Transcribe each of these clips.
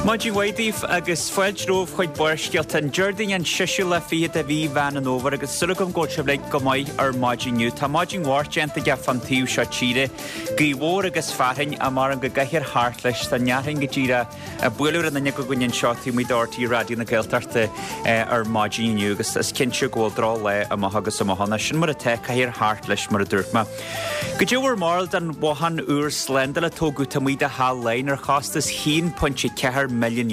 Maidin mhaith daoibh agus fáilte romhaibh chuig Barrscéalta an Déardaoin an seisiú lá fichead de mhí Mheán an Fhómhair agus súil agam go bhfuil sibh uilig go maith ar maidin inniu. Tá maidin mhór déanta aige fán taobh seo tíre. Gaoth mhór agus fearthainn ach maram go gcaithfear thart leis. Tá an fhearthainn go díreach ag bualadh ar an fhuinneog againn anseo taobh amuigh de RTÉ Raidió na Gaeltachta ar maidin inniu agus is cinnte go bhfuil droch lá amach agus amach ann. Sin mar atá, caithfear thart leis mar a dúirt mé. Goidé bhur mbarúil den bhothán úr slándála a tógadh taobh amuigh de Theach Laighean ar chostas €1.4 milliún.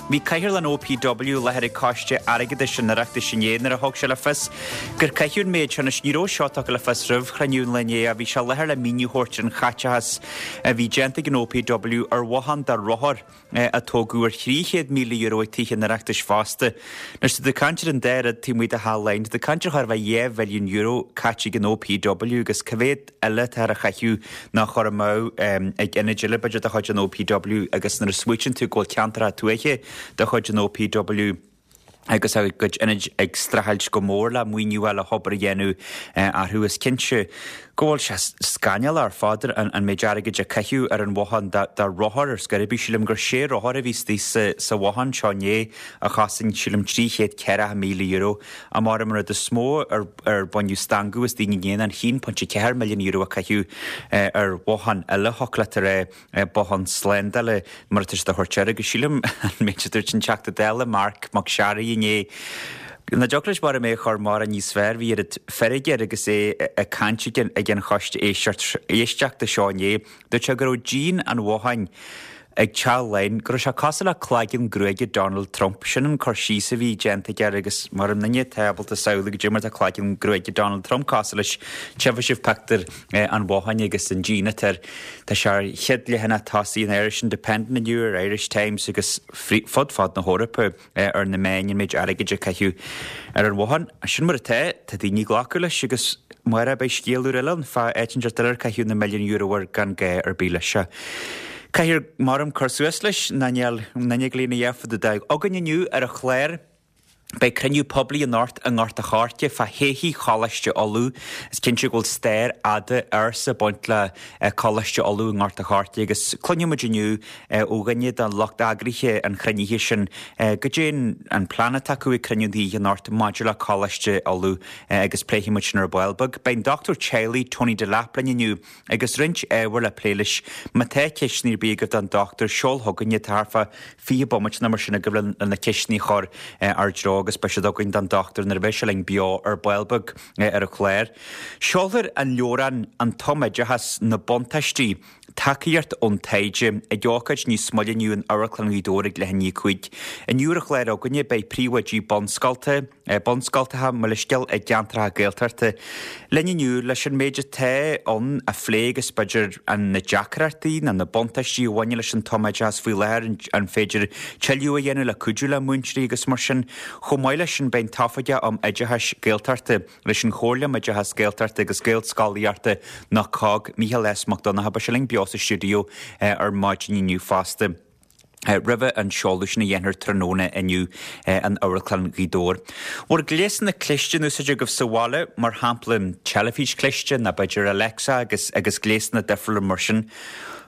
Bhí Cathaoirleach an OPW i láthair ag Coiste Airgeadais an Oireachtais inné nuair a thug sé le fios gur caitheadh an méid sin. Anois ní raibh seo tugtha le fios roimh chruinniú an lae inné ach bhí sé i láthair le míniú a thabhairt ar an chaiteachas a bhí déanta ag an OPW ar bhothán do rothair. a tógadh ar €300,000 ag Tithe an Oireachtais fosta. Anois tá tú ag caint ar an dá rud taobh amuigh de Theach Laighean, tá tú ag caint ar chóir a bheith €2 mhilliún caite ag an OPW agus cá mhéad eile atá ar a chaitheamh nó a chur amú ag ionaid eile b'fhéidir de chuid an OPW agus nuair a smaoitíonn tú go bhfuil ceantracha tuaithe de chuid an OPW agus a gcuid ionaid ag streachailt go mór le maoiniú a fháil le hobair a dhéanamh orthu. Is cinnte go bhfuil sé scannalach ar fad an méid airgid a caitheadh ar an bhothán do rothair ar scor ar bith. Sílim gur sé rothar a bhí istigh sa bhothán seo inné a chosain, sílim, €340,000. Maram an rud is mó ar ar baineadh stangadh as daoine inné ná an €1.4 milliún a caitheadh ar bhothán eile, thiocfadh leat a rá. Bothán slándála mar atá siad a thabhairt air agus sílim an méid a dúirt an Teachta Dála Marc Mac Searraigh inné nach dtiocfadh leis maram é a chur mórán níos fearr, bhí oiread feirge air agus é ag caint ag an choiste éisteachta seo inné. Dúirt sé go raibh díon an bhotháin ag Teach Laighean, go raibh sé cosúil le cloigeann gruaige Donald Trump. Sin an cur síos a bhí déanta aige air agus maram duine atá ábalta samhlú goidé mar atá cloigeann gruaige Donald Trump cosúil leis, tchífidh sibh pictiúr an bhotháin agus an díon atá air. Tá sé ar chéad leathanach tosaigh an Irish Independent inniu, ar Irish Times agus fud fad na hEorpa ar na meáin an méid airgid a caitheadh ar an bhothán. Sin mar atá, tá daoine ag glacadh leis agus amárach beidh scéal úr eile ann fá áit inteacht eile ar caitheadh na milliúin euro air gan gá ar bith leis. Caithfear maram cur suas leis ná níl aon duine ag léamh a dhath fá dtaobh. Againn inniu ar an chlár. Beidh cruinniú poiblí anocht i nGort a' Choirce fá thodhchaí Choláiste Uladh. Is cinnte go bhfuil stair fhada ársa ag baint le Coláiste Uladh i nGort a' Choirce agus cluinfidh muid inniu ó dhuine de lucht eagraithe an chruinnithe sin goidé an plean atá acu ag cruinniú an oíche anocht maidir le Coláiste Uladh agus pléifidh muid sin ar ball beag. Beidh an dochtúir teaghlaigh Tony Delap linn inniu Agus roinnt ábhar le plé leis. Má tá ceisteanna ar bith agaibh don dochtúir, seol chugainn iad. Tá thart fá 20 bomaite nó mar sin agaibh le na ceisteanna a chur ár dtreo agus beidh siad againn don dochtúir nuair a bheidh sé linn beo ar ball beag ar an chlár. Seolfar an leabhrán An Tumoideachas, Na Buntáistí, Tacaíocht ón Taighde ag ócáid níos moille inniu in Amharclann Ghaoth Dobhair ag leath i ndiaidh a 5. Inniu ar an chlár againne beidh príomhoidí bunscolta, bunscoltacha, mo leithscéal, i gceantracha Gaeltachta linn inniu leis an méid atá ann a phlé agus b'fhéidir na deacrachtaí nó na buntáistí a bhaineann leis an tumoideachas faoi láthair, an féidir tuilleadh a dhéanamh le cuidiú le múinteoirí agus mar sin. Chomh maith leis sin beidh an tOifigeach um Oideachais Gaeltachta leis an Chomhairle um Oideachas Gaeltachta agus Gaelscolaíochta nó COGG, Mícheál S Mac Donncha, beidh sé linn beo sa stiúideo ar maidin inniu fosta. roimhe an seoladh sin a dhéanfar tráthnóna inniu in Amharclann Ghaoth Dobhair. Bhur gléasanna cliste in úsáid agaibh sa bhaile, mar shampla teilifís chliste nó b'fhéidir Alexa agus agus gléasanna difriúla mar sin.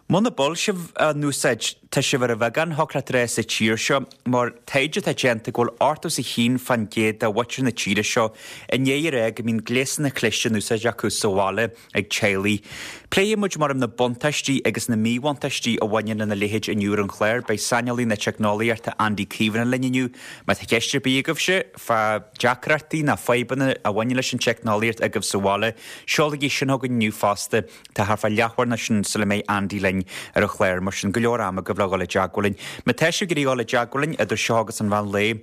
Muna bhfuil sibh á n-úsáid, tá sibh ar an bheagán, thiocfadh leat a rá, sa tír seo, mar taighde atá déanta go bhfuil 81% de mhuintir na tíre seo i ndiaidh a rá go mbíonn gléasanna cliste in úsáid acu sa bhaile. ag teaghlaigh. Pléifidh muid maram na buntáistí agus na míbhuntáistí a bhaineann lena leithéid inniu ar an chlár. Beidh saineolaí na teicneolaíochta Andy Caomhánach linn inniu. Má tá ceist ar bith agaibhse fá deacrachtaí nó fadhbanna a bhaineann leis an teicneolaíocht agaibh sa bhaile, seolaigí sin chugainn inniu fosta. Tá thart fá leathuair nó sin sula mbeidh Andy linn ar an chlár, mar sin go leor ama agaibh le dhul i dteagmháil linn. Má tá sibh ag iarraidh dhul i dteagmháil linn idir seo agus an mheán lae,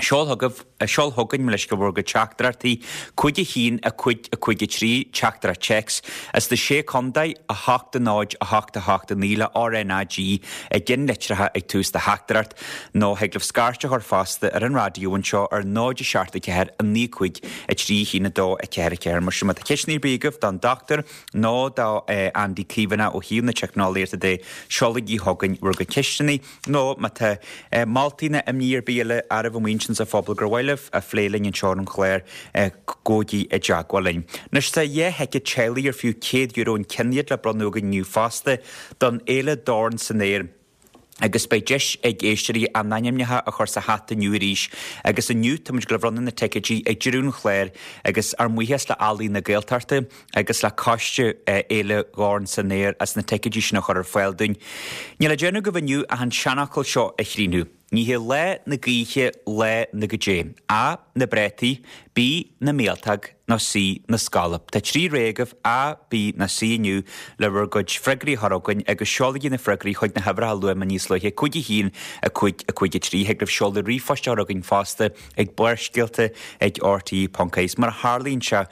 Seol chugaibh, seol chugainn, mo leithscéal, bhur gcuid teachtaireachtaí, 5 1 5 5 3, teachtaireacht téacs, as na Sé Contae, 8 0 8 8 9 le RnaG i gceannlitreacha ag tús do theachtaireacht, nó thig libh scairt a chur fosta ar an raidió anseo ar 0 7 4 9 5 3 1 2 4 4. Mar sin, má tá ceisteanna ar bith agaibh don dochtúir nó do Andy Caomhánach ó thaobh na teicneolaíochta de, seolaigí chugainn bhur gcuid ceisteanna. Nó má tá moltaí nó imní ar bith eile agaibh amuigh ansin sa phobal gur mhaith libh a phlé linn anseo ar an chlár, gabhaigí i dteagmháil linn. Anois tá 2 thicéad teaghlaigh ar fiú €100 an ceann iad le bronnadh againn inniu fosta don Fhéile Dorn san Aer. Agus beidh deis ag éisteoirí a n-ainmneacha a chur sa hata inniu arís agus inniu tá muid ag dul a bhronnadh na ticéidí ag deireadh an chláir agus ár mbuíochas le Ealaín na Gaeltachta agus le Coiste Fhéile Dhorn san Aer as na ticéidí sin a chur ar fáil dúinn. Níl le déanamh agaibh inniu ach an seanfhocal seo a chríochnú. Ní hé lá na gaoithe lá na goidé. A, na bpréataí, B, na míoltóg, nó C, na scolb. Tá 3 rogha agaibh, A, B nó C inniu le bhur gcuid freagraí a chur chugainn agus seolaigí na freagraí chuig na huimhreacha a luaigh mé níos luaithe, 5 1 5 5 3. Thig libh seoladh ríomhphoist a chur chugainn fosta ag Barrscéalta ag rte ponc ie. Mar a tharlaíonn sé,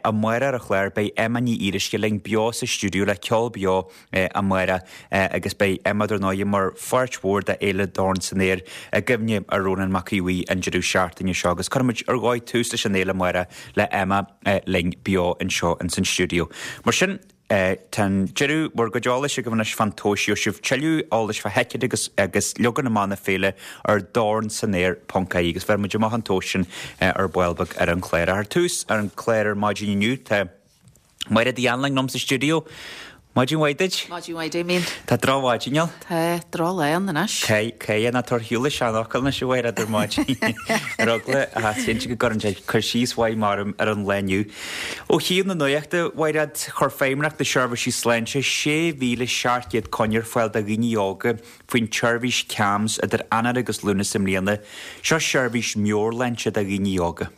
amárach ar an chlár beidh Emma Ní Fhíoruisce linn beo sa stiúideo le ceol beo amárach agus beidh Emma dar ndóigh mar pháirt mhór de Fhéile Dorn san Aer i gcuimhne ar Rónán Mac Aodha Bhuí an deireadh seachtaine seo agus cuirfimid ar dhóigh tús leis an fhéile amárach le Emma linn beo anseo ins an stiúideo. Mar sin, tá an deireadh bhur gcuid eolais agaibh anois fán tomhais. Gheobhaidh sibh tuilleadh eolais fá thicéid agus agus leagan amach na féile ar dornsanaer ponc ie agus bhéarfaidh muid amach an tomhas sin ar ball beag ar an chlár. Ach ar tús ar an chlár ar maidin inniu tá Mairéad Uí Anluain liom sa stiúideo. Maidin mhaith duit. Maidin mhaith Damien. Tá drochmhaidin ann. Tá, drochlá ann anois. Cé ná tabhair shiúl an seanfhocal anois a Mhairéad ar maidin. Ar eagla a cinnte go gcuireann sé cur síos mhaith maram ar an lá inniu. Ó thaobh na nuachta, a Mhairéad, chuir Feidhmeannacht na Seirbhísí Sláinte 6,700 coinne ar fáil do dhaoine óga faoin tseirbhís CAMHS idir Eanáir agus Lúnasa i mbliana. Seo seirbhís meabhairshláinte do dhaoine óga.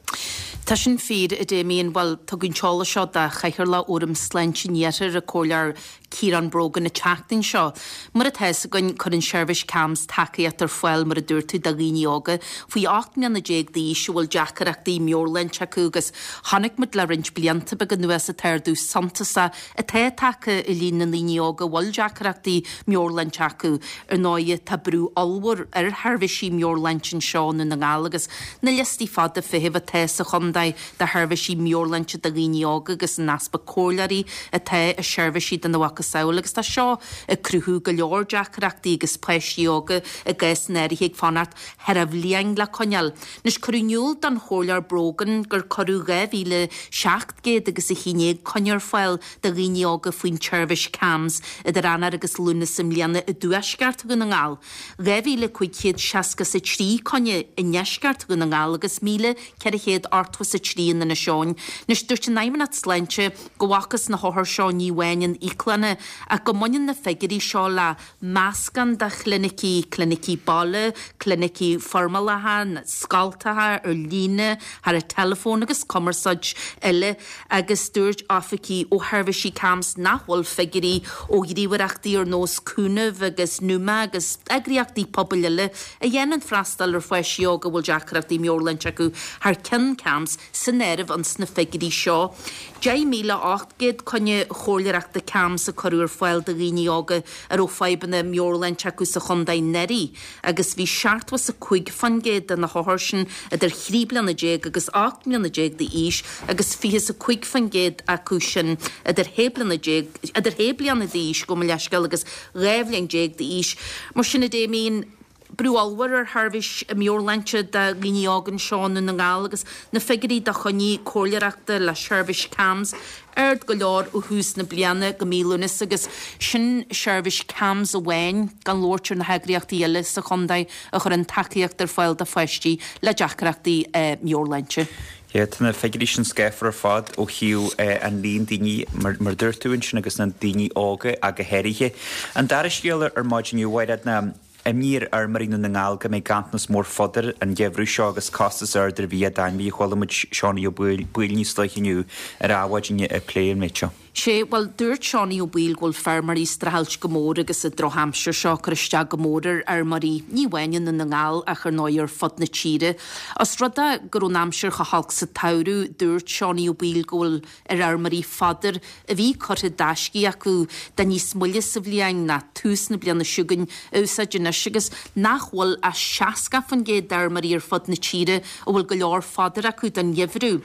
Tá sin fíor, a Damien. Bhuel, tugadh an t-eolas seo do Chathaoirleach Fhóram Sláinte an Iarthair, an Comhairleoir Ciarán Brogan, an tseachtain seo. Mar atá fhios againn, cuireann seirbhís CAMHS tacaíocht ar fáil, mar a dúirt tú, do dhaoine óga faoi 18 mbliana d'aois a bhfuil deacaireachtaí meabhairshláinte acu agus chonaic muid le roinnt blianta beaga anuas an t-ardú suntasach atá tagtha i líon na ndaoine óga a bhfuil deacrachtaí meabhairshláinte acu. Ar ndóighe, tá brú ollmhór ar sheirbhísí meabhairshláinte anseo i nDún na nGall agus na liostaí fada feithimh atá sa chontae do sheirbhísí meabhairshláinte do dhaoine óga agus an easpa comhairleoirí atá i seirbhísí dena mhacasamhail agus tá seo ag cruthú go leor deacrachtaí agus páistí óga i gcásanna áirithe ag fanacht thar an bhliain le coinneáil. Anois, cuireadh in iúl don Chomhairleoir Brogan gur cuireadh 2,700 agus 11 coinne ar fáil do dhaoine óga faoin tseirbhís CAMHS idir Eanáir agus Lúnasa i mbliana i dtuaisceart Dhún na nGall, 2,563 coinne i ndeisceart Dhún na nGall agus 1,483 in Inis Eoghain. Anois, dúirt an Fheidhmeannacht Sláinte go bhfacthas na hothair seo ní amháin in íoclanna ach go mbaineann na figiúirí seo le meascán de chlinicí, clinicí baile, clinicí foirmeálacha, scoltacha, ar líne, thar an teileafón agus cumarsáid eile agus dúirt oifigigh ó sheirbhísí CAMHS nach bhfuil figiúirí ó ghníomhaireachtaí ar nós Cúnamh agus Numa agus eagraíochtaí pobail eile a dhéanann freastal ar pháistí óga a bhfuil deacrachtaí meabhairshláinte acu thar ceann CAMHS san áireamh ins na figiúirí seo. 10,800 coinne chomhairleoireachta CAMHS a cuireadh ar fáil do dhaoine óga a raibh fadhbanna meabhairshláinte acu sa chontae anuraidh agus bhí 75% de na hothair sin idir thrí bliana déag agus 18 mbliana d'aois agus 25% acu sin idir shé bliana déag idir shé bliana d'aois, gabh mo leithscéal, agus 12 bhliain d'aois. Mar sin, a Damien, Brú ollmhór ar sheirbhís meabhairshláinte do dhaoine óga anseo i nDún na nGall agus na figiúirí do choinní comhairleoireachta le seirbhís CAMHS ard go leor ó thús na bliana go mí Lúnasa agus sin seirbhís CAMHS amháin gan labhairt ar na heagraíochtaí eile sa chontae a chuireann tacaíocht ar fáil do pháistí le deacrachtaí meabhairshláinte. Yeah, tá na figiúirí sin scáfar ar fad ó thaobh an líon daoine, mar a dúirt tú ansin, agus na daoine óga ach go háirithe. An dara scéal ar maidin inniu, a Mhairéad, ná imní ar fheirmeoirí Dhún na nGall go mbeidh ganntanas mór fodair an geimhreadh seo agus costas ard ar bhia d'ainmhithe. Chuala muid Seánie Ó Baoill níos luaithe inniu ar Adhmhaidin ag plé an méid seo. Sé, bhuel, dúirt Seánie Ó Baoill go bhfuil feirmeoirí ag streachailt go mór agus an drochaimsir seo ag cur isteach go mór ar fheirmeoirí, ní amháin i nDún na nGall ach ar ndóigh ar fud na tíre. Os rud é go raibh an aimsir chomh holc sa tsamhradh, dúirt Seánie Ó Baoill go bhfuil ar fheirmeoirí fodar a bhí curtha d'aiscí acu do níos moille sa bhliain ná tús na bliana seo chugainn a úsáid anois agus nach bhfuil ach 60% d'fheirmeoirí ar fud na tíre a bhfuil go leor fodair acu don gheimhreadh.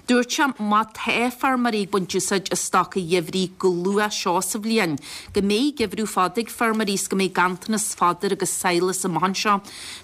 Dúirt sé má tá feirmeoirí ag baint úsáid as stoc a. an gheimhridh go luath seo sa bhliain, go mbeidh geimhreadh fada ag feirmeoirí is go mbeidh ganntanas fódair agus sadhlas amach anseo.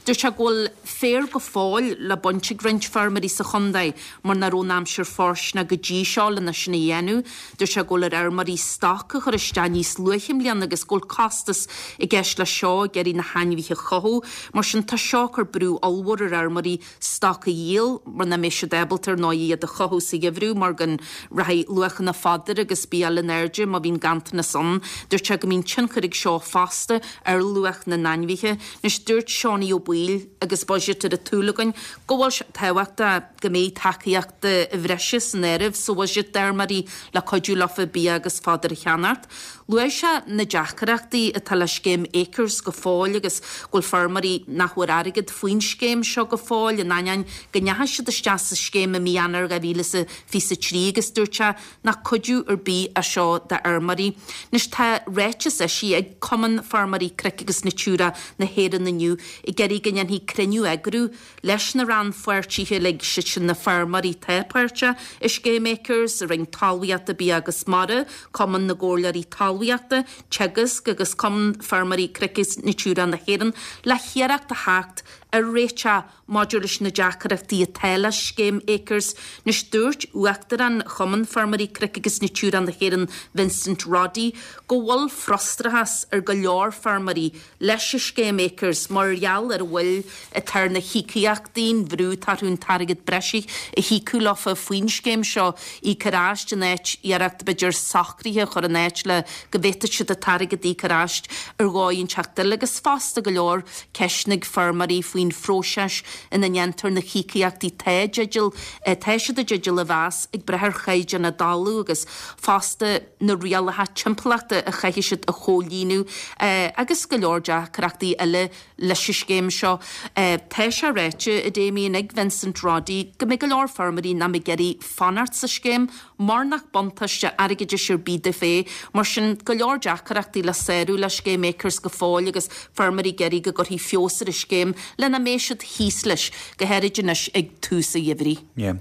Dúirt sé go bhfuil féar go fóill le baint ag roinnt feirmeoirí sa chontae mar nach raibh an aimsir fóirsteanach go dtí seo lena sin a dhéanamh. Dúirt sé go bhfuil ar fheirmeoirí stoc a chur isteach níos luaithe i mbliana agus go bhfuil costas i gceist leis seo ag iarraidh na hainmhithe a chothú. Mar sin tá seo ag cur brú ollmhór ar fheirmeoirí stoc a dhíol mar nach mbeidh siad ábalta ar ndóigh iad a chothú sa gheimhreadh mar go rachaidh luachanna fódair agus bia eile in airde má bhíonn ganntanas ann. Dúirt sé go mbíonn tionchar ag seo fosta ar luach na n-ainmhithe. Anois dúirt Seánie Ó Baoill agus budget ar an tsúil againn go bhfuil sé tábhachtach go mbeidh tacaíocht bhreise san áireamh sa bhuiséad d'fheirmeoirí le cuidiú leofa bia agus fódar a cheannacht. Luaigh sé na deacrachtaí atá le scéim Acres go fóill agus go bhfuil feirmeoirí nach bhfuair airgead faoin scéim seo go fóill in ainneoin go ndeachaigh siad isteach sa scéim i mí Eanáir 2023 agus dúirt sé nach cuidiú ar bith é seo d'fheirmeoirí. Anois tá ráiteas eisithe ag Cumann Feirmeoirí Cnoic agus Natura na hÉireann inniu ag iarraidh go ndéanfaí cruinniú a eagrú leis na rannpháirtithe uilig, siad sin na feirmeoirí atá páirteach i Scéim Acres, an Roinn Talmhaíochta, Bia agus Mara, Cumann na gComhairleoirí Talmhaíochta, Teagasc agus Cumann Feirmeoirí Cnoic agus Natura na hÉireann le hiarracht a theacht ar réiteach maidir leis na deacrachtaí atá le Scéim Acres. Anois dúirt Uachtarán Chumann Feirmeoirí Cnoic agus Natura na hÉireann Vincent Roddy go bhfuil frustrachas ar go leor feirmeoirí leis an scéim Acres mar gheall ar an mhoill atá ar na híocaíochtaí, an bhrú atá orthu an t-airgead breise a híocadh leofa faoin scéim seo, íoc ar ais in áit iarracht b'fhéidir socruithe a chur in áit le go bhféadfadh siad an t-airgead a íoc ar ais ar dhóigh inteacht eile agus fosta go leor ceisteanna ag feirmeoirí faoin phróiseas ina ndéantar na híocaíochtaí atá i dteideal, atá siad i dteideal a mheas ag brath ar chaighdeán a dtalamh agus fosta. na rialacha timpeallachta a chaithfidh siad a chomhlíonadh agus go leor deacrachtaí eile leis an scéim seo. Tá sé ráite, a Damien, ag Vincent Roddy go mbeidh go leor feirmeoirí nach mbeidh ag iarraidh fanacht sa scéim mar nach buntáiste airgeadais ar bith dóibh é. Mar sin, go leor deacrachtaí le sárú le scéim Acres go fóill agus feirmeoirí ag iarraidh go gcuirfí feabhas ar an scéim lena mbeidh siad thíos leis, go háirid anois ag tús an gheimhridh. Yeah.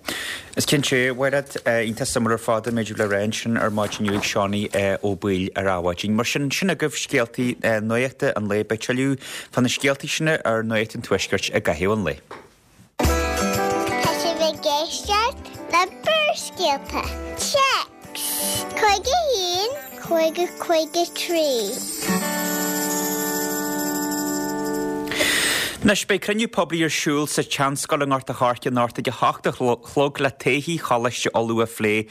Is cinnte, a Mhairéad, iontach suimiúil ar fad an méid a bhí le rá ansin ar maidin inniu ag Seánie Ó Baoill ar Adhmhaidin. Mar sin, sin agaibh scéaltaí nuachta an lae. Beidh tuilleadh fá na scéaltaí sin ar Nuacht an Tuaiscirt i gcaitheamh an lae. Tá sibh ag éisteacht le Barrscéalta. Téacs 51 50 53. Anois, beidh cruinniú poiblí ar siúl sa tSeanscoil i nGort a' Choirce anocht ag a hocht a chlog le todhchaí Choláiste Uladh a phlé.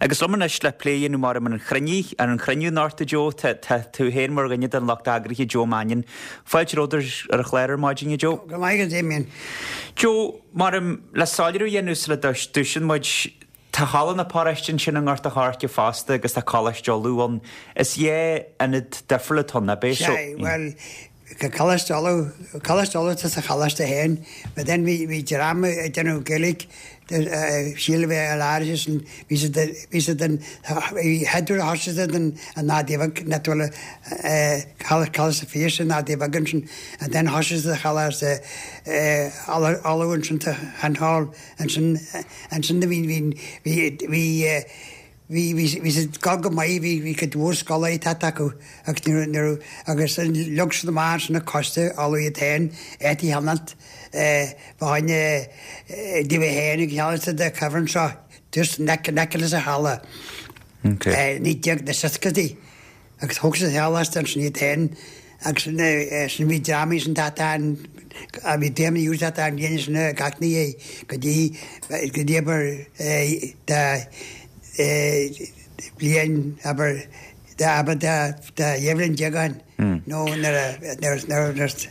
Agus liom anois le plé a dhéanamh mar ar an chruinniú, ar an chruinniú anocht, a Joe, tá, tá tú féin mar dhuine den lucht eagraithe, Joe Mannion. Fáilte romhat ar an chlár ar maidin, a Joe. Go raibh maith agat, a Damien. Joe, mar le soiléiriú a dhéanamh sula dtoisíonn muid, Tá Halla na Paróiste ansin i nGort a' Choirce fosta agus tá Coláiste Uladh ann. Is dhá ionad difriúil atá ann, ab é? Sea, bhuel, Coláiste Uladh, Coláiste Uladh tá sa choláiste féin, but then bhí, bhí dream ag déanamh Gaeilge, síl a bheith ar áirithe sin, bhí siad, bhí siad in, bhí headúr a thosaigh siad in an Adaí Bheag, net bhfuil Coláiste Phiarsaigh in Adaí Bheag ansin, and then thosaigh siad sa Choláiste Uladh ansin sa Hall. Ansin, ansin bhí, bhí, bhí, bhí, bhí, bhí, bhí siad ag gabháil go maith, bhí, bhí cuid mhór scoláirí teacht acu agus ní raibh, ní raibh, agus leag siad amach ansin an coiste Uladh iad féin, áit a cheannacht, fá choinne daofa féin agus cheannaigh siad an cuibhreann seo just in aice, in aice leis an halla. Okay. 1960idí. Agus thóg siad an choláiste ansin iad féin agus sin bhí drámaí sin tata an bhí drámaí úr tata an bhliain sin gach ní é go dtí go dtí abair de bhliain abair de abair de de dhá bhliain déag ó shin nó nuair a nuair nuair nuair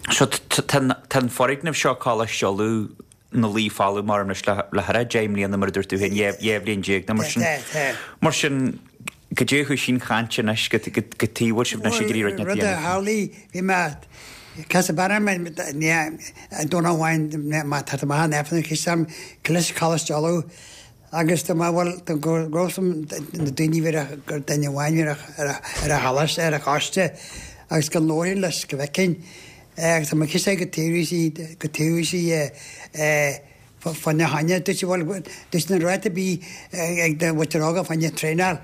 So tá an foirgneamh seo Coláiste Uladh ina luí folamh mar anois le thar a 10 mbliana mar a dúirt tú féin, 12 bhliain nó mar sin. Mar sin, cad é a chúis an chaint anois, cad chuige a bhfuil sibh anois ag iarraidh rud inteacht a Rud a dhéanamh? tharlaigh, bhí mé, casadh bean orm an Domhnach amháin, má tá tú amach in Aifreann, chis orm, Coláiste Coláiste Uladh agus dá mba bhfuil, dá go raibh na daoine bhí ar gur duine amháin ar ar an choláiste, ar an choiste agus go labhraínn leis go bhfeicfinn Agus tá mé cinnte go dtabharfaidh sí, go dtabharfaidh sí fá na choinne, dúirt sí, bhuel, dúirt na ráta bí ag do mhuintir óga fá choinne traenáil.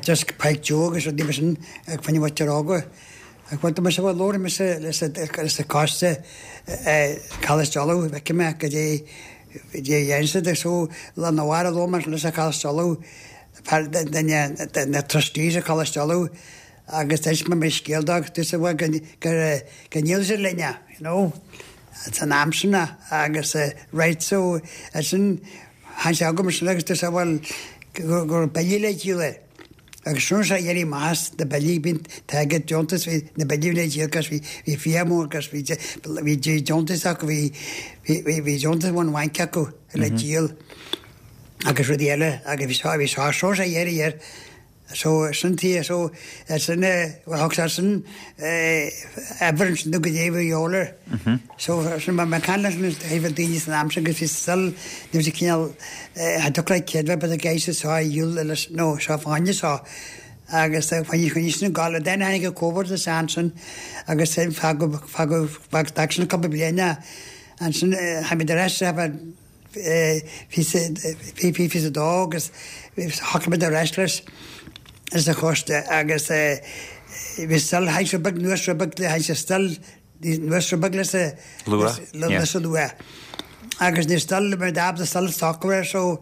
Just Páirc Joe agus rudaí mar sin ag fá choinne muintir óga. Ach bhuel tá mise bhuel labhair mise leis an coiste Coláiste Uladh feicfidh mé goidé goidé a dhéanann siad so lá na mhara labhair mé leis an Coláiste Uladh fear duine de na trustees i Coláiste Uladh agus d'inis mé mo scéal dó agus dúirt sé bhuel go go go ndíolfaidh siad linn é you know san am sin agus right so ansin Tháinig sé chugam ansin agus dúirt sé bhuel go raibh billí le díol air. Agus sin sé éirí amach as na billí bhí an t-airgead deontas bhí na billí le díol agus bhí bhí fiach mór agus bhí bhí deontas acu bhí bhí bhí deontas ón bhanc acu le díol agus rudaí eile agus bhí seo bhí seo seo sé éirí air So sin tí so sin bhuel thug sé sin obair ansin do goidé bhí a dhíobháil air. So sin mar mé caint leis na thaobh daoine san am sin agus bhí still ní raibh sé cineál cha dtiocfadh le céad bheith but ag éist seo a dhíol leis nó seo fá choinne seo agus choinnigh choinnigh sin ag gabháil then tháinig an Covid isteach ansin agus sin fágadh fágadh fágadh d'fhág sin cúpla bliain é ansin tháinig muid ar ais 22 agus shocraigh muid ar ais leis leis an choiste agus bhí still tháinig sé beag anuas rud beag tháinig sé still anuas rud beag leis an luach leis an luach agus ní still mar d'ab still socrú air so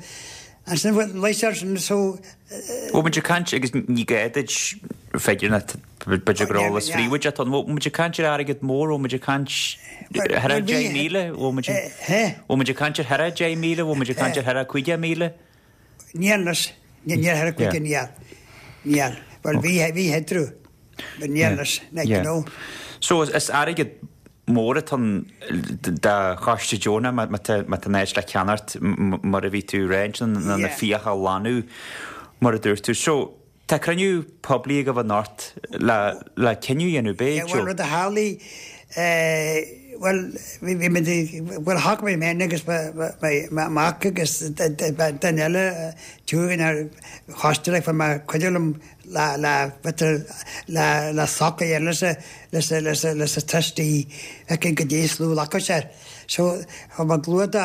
ansin luigh sé air sin so Bhfuil muid ag caint agus ní gá duit figiúr ná b'fhéidir gur eolas príobháideach atá ann. Bhfuil muid ag caint ar airgead mór, bhfuil muid ag caint thar 10,000, bhfuil muid bhfuil muid ag caint ar thar 10,000, bhfuil muid ag caint ar thar 50,000? Níl anois, níl thar 5 níl, níl. Bhuel bhí bhí headroom, but níl anois, like you know. So is airgead mór atá ann do choiste deonach má tá an áit le ceannacht mar a bhí tú ag rá ansin na na fiacha a ghlanadh mar a dúirt tú. So tá cruinniú poiblí agaibh anocht le le cinneadh a dhéanamh b'fhéidir. Bhuel rud a tharlaigh bhuel bhí muid bhuel shocraigh mé féin agus mo mhac agus duine eile tuairgin ar choiste like fuair mé cuidiú liom le le le le socrú a dhéanamh leis leis leis leis an trustee feiceann goidé is lú glacadh sé air. So chomh maith luath do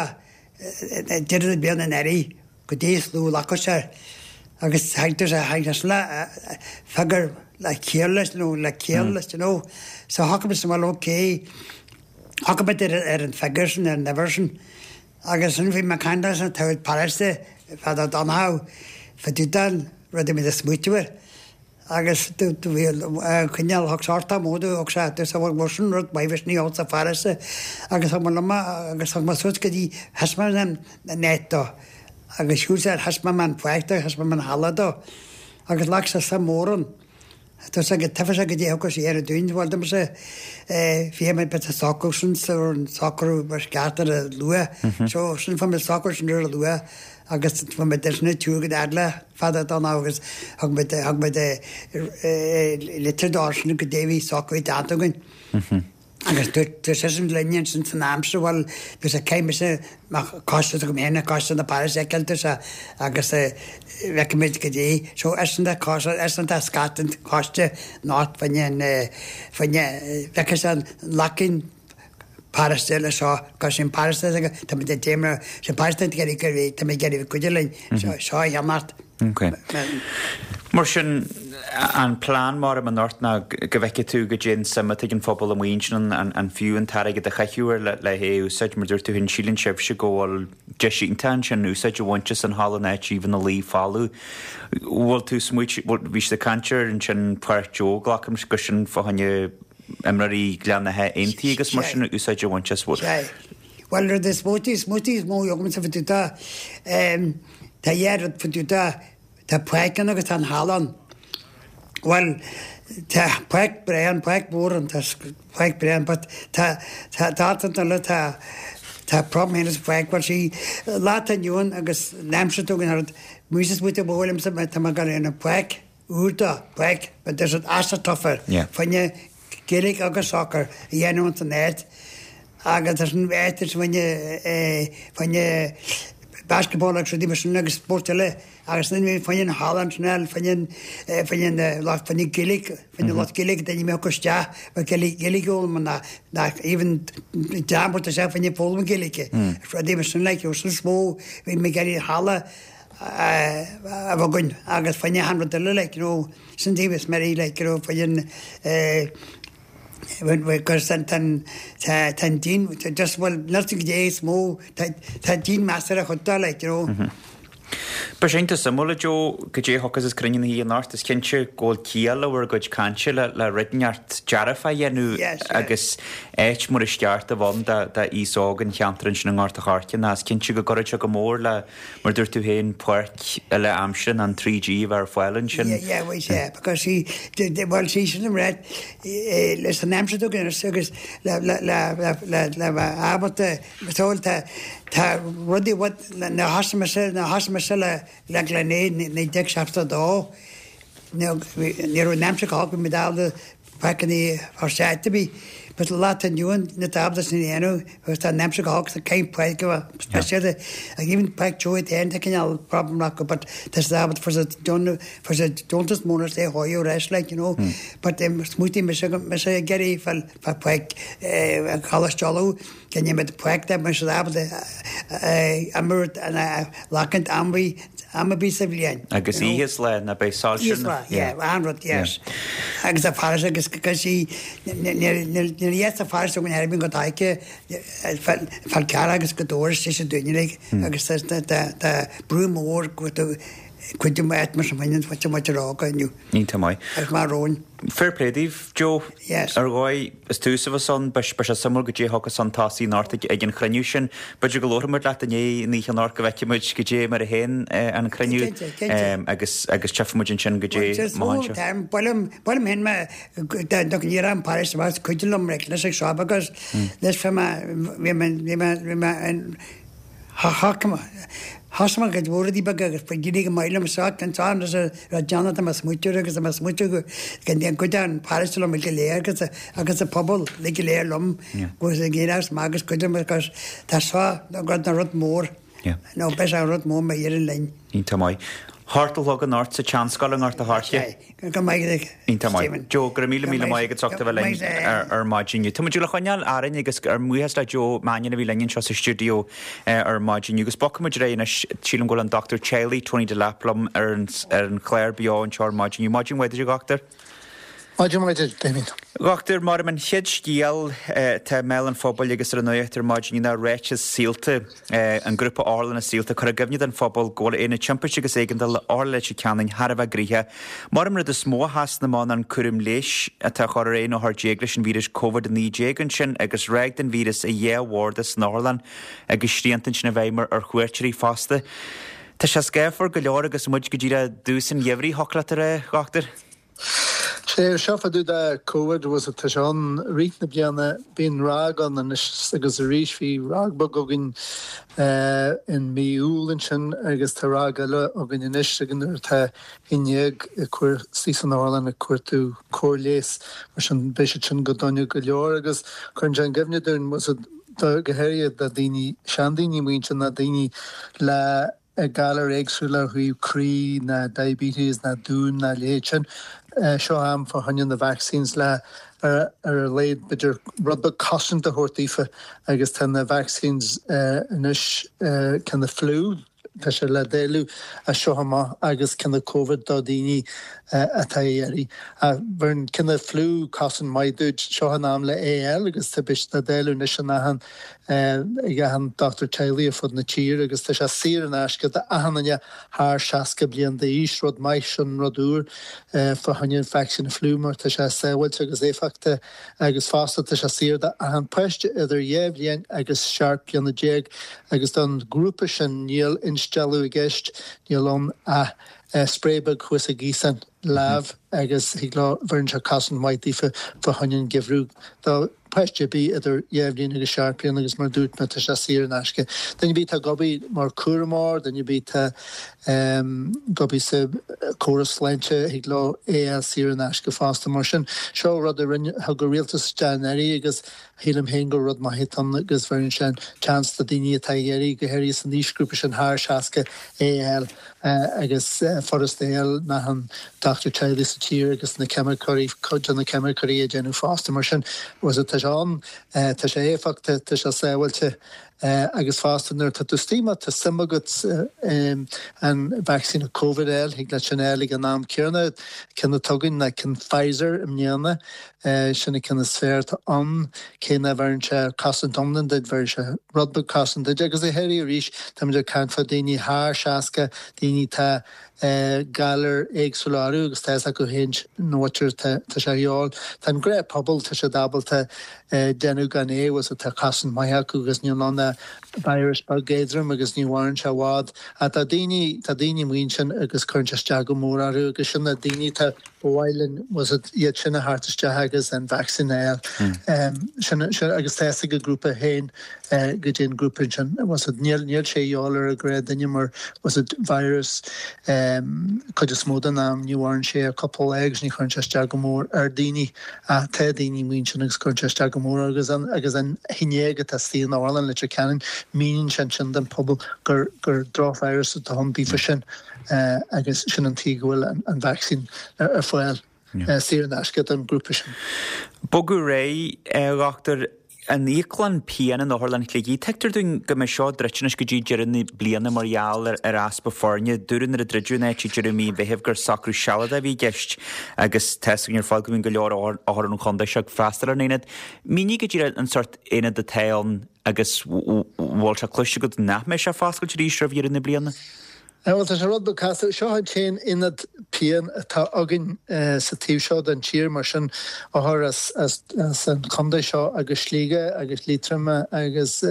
deireadh na bliana anuraidh goidé is lú glacadh sé air agus tháinig sé tháinig sé le figiúr le ciall leis nó le ciall leis you know. So shocraigh muid well okay shocraigh muid ar ar an figiúr sin ar an uimhir sin agus sin bhí mé ag caint leis an town paróiste Father Donohoe fá dtaobh den rud a bhí ag smaoitiú air agus do bhí coinneáil thug sort am ó thug sé dúirt sé bhuel sin rud maith bheadh ní sa pharóiste agus thug mé liom agus thug mé suas go dtí thaispeáin an áit dó agus shiúil sé thaispeáin mé an pháirc dó thaispeáin mé an halla dó agus ghlac sé suim mór ann. Tá sé go taifead sé go dtí thugais air dúinn bhuel dom sé bhí mé bit socrú sin sa socrú mar sceart ar a luath so sin fuair mé socrú sin ar a luath agus fuair mé deis na tú go eagla fada don agus thug mé thug mé litir dó sin go dtí bhí socrú déanta againn. Agus dúirt seisean linn ansin san am seo, bhuel, dúirt sé, caithfidh mise mo choiste agam féin, coiste na paróiste a fheiceáil, dúirt sé, agus feicfimid goidé. So eisean tá coiste, eisean tá scat an choiste anocht fá choinne an, fá choinne, feicfidh sé an lacing paróiste le seo, cos sin paróiste, tá muid ag déanamh, sin paróiste ag iarraidh go, tá muid ag iarraidh cuidiú linn, seo a cheannacht. Ok. Mar sin, an plean mar am anocht ná go bhfeicfidh tú goidé an suim atá ag an phobal amuigh ansin, an fiú an t-airgead a chaitheamh air le hé a úsáid. Mar dúirt tú féin, síleann sibhse go bhfuil deis iontach ansin úsáid a bhaint as an halla in áit ina luí folamh. Bhfuil tú smaoite, bhí siad ag caint ar ansin Páirc Joe, glacaim gur sin fá choinne imreoirí Ghleann Átha Aontaithe agus mar sin úsáid a bhaint as. Bhuel, rud is mó, is mó, is mó agamsa fá dtaobh de, tá dhá rud fá dtaobh de, tá páirc ann agus tá an halla ann. Bhuel, tá páirc breá ann, páirc mhór ann, tá páirc breá ann, but tá, tá, tá alt eile, tá, tá problem féin sa pháirc, bhuel sí, lá atá inniu ann agus an aimsir atá againn thart, muise is muid ag bóil liomsa, tá mé ag dul ar an pháirc úr do, páirc, but there's an astroturf air, fá choinne Gaeilge agus sacar a dhéanamh ins an áit agus leis an áit is fá choinne fá choinne basketball agus rudaí mar sin agus spóirt eile agus ansin fá choinne an halla ansin eile fá choinne fá choinne lucht fá choinne Gaeilge fá choinne lucht Gaeilge daoine a mbeadh isteach mar Gaeilge Gaeilge a fhoghlaim ná ná even dream a isteach fá choinne foghlaim Gaeilge rudaí mar sin like sin is mó bhí mé ag iarraidh halla a. a bheith againn agus fá choinne achan rud eile like you know sin taobh is meirí like you know fá choinne eh because tá tá an díon just bhuel níl 's agam goidé is mó tá tá díon measartha chun dul like you know. Beidh sé iontach suimiúil, a Joe, goidé a thiocfas as cruinniú na hoíche anocht. Is cinnte go bhfuil ciall le bhur gcuid cainte le le rud inteacht dearfach a dhéanamh agus áit mar is ceart a bheith ann d'aos óg an cheantair ansin i nGort a' Choirce ná is cinnte go gcuirfeadh sé go mór le Mar dúirt tú féin, páirc uile aimsire ná an 3G a bheith ar fáil ansin. Yeah, yeah, well, yeah, because see, well, see, sin an rud, leis an aimsir atá againn anois agus le, le, le, le, le, le bheith ábalta, so, tá, tá rudaí i bhfad, nuair a thosaigh mise, nuair a thosaigh mise le, le Glenea i 1972, ní raibh an aimsir go holc, bhí muid ábalta páirceanna a thabhairt áit ar bith. But lá atá inniu ann níl tú ábalta sin a dhéanamh agus tá an aimsir go holc so caithfidh páirc a bheith speisialta. Ach even páirc Joe féin tá cineál problem acu but tá siad ábalta fuair siad deon fuair siad deontas mór anois le dhóigh ar ais like you know. But smaoitigh mise mise ag iarraidh fáil fá pháirc Choláiste Uladh go ndéanfaidh páirc dá mbeadh siad ábalta imirt lachaint am am ar bith sa bhliain. Agus oíche is lá ná beidh soilse Oíche is lá, yeah, an rud, yes. Agus a fearas agus go sí níl fhios a fearas againn ar bith go dtáice Fál Carrach agus go dtabhair sé sin dúinne like agus tá brú mór go cuid de áit mar sin bhaineann muid muid ar óga inniu. Iontach maith. Agus mar romhainn. Fair play daoibh, Joe. Yes. Ar dhóigh, is tús a bheas ann, beidh sé suimiúil goidé a thiocfas chun tosaigh anocht ag an chruinniú sin. B'fhéidir go labharfaidh muid leat i ndiaidh an oíche anocht go bhfeicfidh muid goidé mar a théann an cruinniú Cinnte, cinnte. agus agus tchífidh muid ansin goidé má théann sé. Buailim, buailim féin mé do ní raibh an Paris amach cuid liom leis ag seo because leis bhí mé, bhí mé, bhí mé, bhí mé in, Thosaigh mé cuid mhór rudaí beaga agus ba d'éirigh go maith liom so ansan agus raibh déanamh tá mé ag smaoitiú agus tá mé ag smaoitiú go ndéan cuid den pharóiste liom go léir agus agus an pobal uilig go léir liom agus ag éirí as maith agus cuid liom agus tá seo rud na rud mór nó beidh sé rud mór má éiríonn linn. Iontach maith. Hocht a chlog anocht sa tSeanscoil i nGort a' Choirce. Go maith agat, Iontach maith. Joe, go raibh míle míle maith agat as ucht a bheith linn ar maidin inniu. Tá muid le coinneáil orainn agus ár mbuíochas le Joe Mannion a bhí linn anseo sa stiúideo ar maidin inniu. Agus bogfaidh muid ar aghaidh anois, sílim go bhfuil an Dochtúir Teaghlaigh Tony Delap liom ar an ar an chlár beo anseo ar maidin inniu. Maidin mhaith duit, a Dhochtúir. Maidin mhaith duit, Damien. A Dhochtúir, mar an chéad scéal atá i mbéal an phobail agus ar an nuacht ar maidin inniu ná ráiteas Saolta. An grúpa Otharlanna Saolta ag cur i gcuimhne don phobal go bhfuil Aonad Timpiste agus Éigeandála Otharlann Leitir Ceanainn thar a bheith gnoitheach. Mar an rud is mó a sheasann amach ná an cúram leighis atá á chur ar 11 othar leis an víreas Covid-19 ansin agus ráig den víreas i dhá bharda san otharlann agus srianta ansin i bhfeidhm ar chuairteoirí fosta. Tá sé scáfar go leor agus muid go díreach i dtús an gheimhridh, thiocfadh leat a rá, a Dhochtúir. Sé seo fá dtaobh de Covid was tá sé ann rith na bliana bíonn ráig ann anois agus arís bhí ráig beag againn in mí Iúil ansin agus tá ráig eile againn anois ag nuair atá 11 ag cur suas san otharlann ag cuartú cóir leighis mar sin beidh siad sin go dona go leor agus cuireann sé in gcuimhne dúinn was go háirithe do daoine seandaoine muintir ná daoine le galair éagsúla ó thaobh croí ná diabetes ná dún ná leithéid sin. Seo am fá choinne na vaccines le ar a laghad b'fhéidir rud beag cosaint a thabhairt daofa agus tá na vaccines anois ceann na flu tá sé le dáileadh as seo amach agus ceann na Covid do daoine atá ag iarraidh. Ach bheireann ceann na flu cosaint maith duit seo an am le é a fháil agus tá beidh sé le dáileadh anois in achan ag achan dochtúir teaghlaigh ar fud na tíre agus tá sé saor in aisce d'achan duine thar 60 bliain d'aois, rud maith, sin rud úr fá choinne an vacsaín fliú mar tá sé sábháilte agus éifeachtach agus fosta tá sé saor d'achan páiste idir 2 bhliain agus 17 bliana agus don ghrúpa sin níl instealladh i gceist, níl ann ach spray beag thuas i gcuasán lámh agus thig leo, bheireann sé cosaint mhaith daofa fá choinne an geimhreadh. Do. páiste ar bith idir 2 bhliain agus 7 bliana agus mar a dúirt mé tá sé saor in aisce. Duine ar bith atá ag obair mar chúramóir, duine ar bith atá ag obair sa córas sláinte thig leo é a fháil saor in aisce fosta. Mar sin seo rud a rinne, thug an rialtas isteach anuraidh agus shílim féin gur rud maith atá ann agus bheireann sé an chance do daoine atá ag iarraidh, go háirithe san aoisghrúpa sin thar 60, é a fháil. agus furasta é a fháil in achan dochtúir teaghlaigh sa tír agus na ceimiceoirí, cuid de na ceimiceoirí ag déanamh fosta. Mar sin, tá sé ann, tá sé éifeachtach, tá sé sábháilte. Agus fosta nuair atá tú istigh má tá suim agat an vacsaín Covid a fháil, thig leat sin a fháil ag an am céanna. Ceann atá againn ná ceann Pfizer i mbliana. Sin an ceann is fearr atá ann. Cé nach bheireann sé cosaint iomlán duit, bheireann sé rud beag cosaint duit. Agus go háirithe arís, táimid ag caint fá daoine thar 60, daoine atá galair éagsúla orthu agus tá fhios acu féin na mhuintir tá sé a dhíobháil. Tá an gnáthphobal, tá siad ábalta déanamh gan é agus tá cosaint maith acu agus níl ann ach virus beag éadrom agus ní mhaireann sé i bhfad. Ach tá daoine, tá daoine amuigh ansin agus cuireann sé isteach go mór orthu agus sin na daoine atá, ba mhaith linn was it iad sin a theacht isteach agus an vacsaín a fháil. Sin, sin agus tá fhios ag an grúpa féin go dtí an grúpa ansin. Was it níl, níl sé a dhíobháil ar an gnáthdhuine mar was it virus cuid is mó den am ní mhaireann sé ach cúpla lá agus ní chuireann sé isteach go mór ar daoine ach tá daoine amuigh ansin agus cuireann sé isteach go mór agus an agus an fhinnéag atá istigh in otharlann Leitir Ceanainn míníonn sé ansin don phobal gur gur drochvirus atá ann daofa sin agus sin an tuige go bhfuil an an vacsaín ar ar fáil. saor in aisce don ghrúpa sin. Bogadh ar aghaidh, a dhochtúir, an íoclann pian in Otharlann Shligigh. Tuigtear dúinn go mbeidh seo druidte anois go dtí deireadh na bliana mar gheall ar easpa foirne. Dúradh nuair a druideadh an áit ag deireadh mí an Mheithimh gur socrú sealadach a bhí i gceist agus tá fhios againn ar fad go mbíonn go leor othar ón chontae seo ag freastal ar an aonad. Mínigh go díreach an sórt aonad atá ann agus bhfuil sé cloiste agat nach mbeidh sé foscailte arís roimh dheireadh na bliana? Bhuel, tá sé rud beag casta. Seo an t-aon ionad pian atá againn sa taobh seo den tír, mar sin othair as an chontae seo agus Sligeach agus Liatroim agus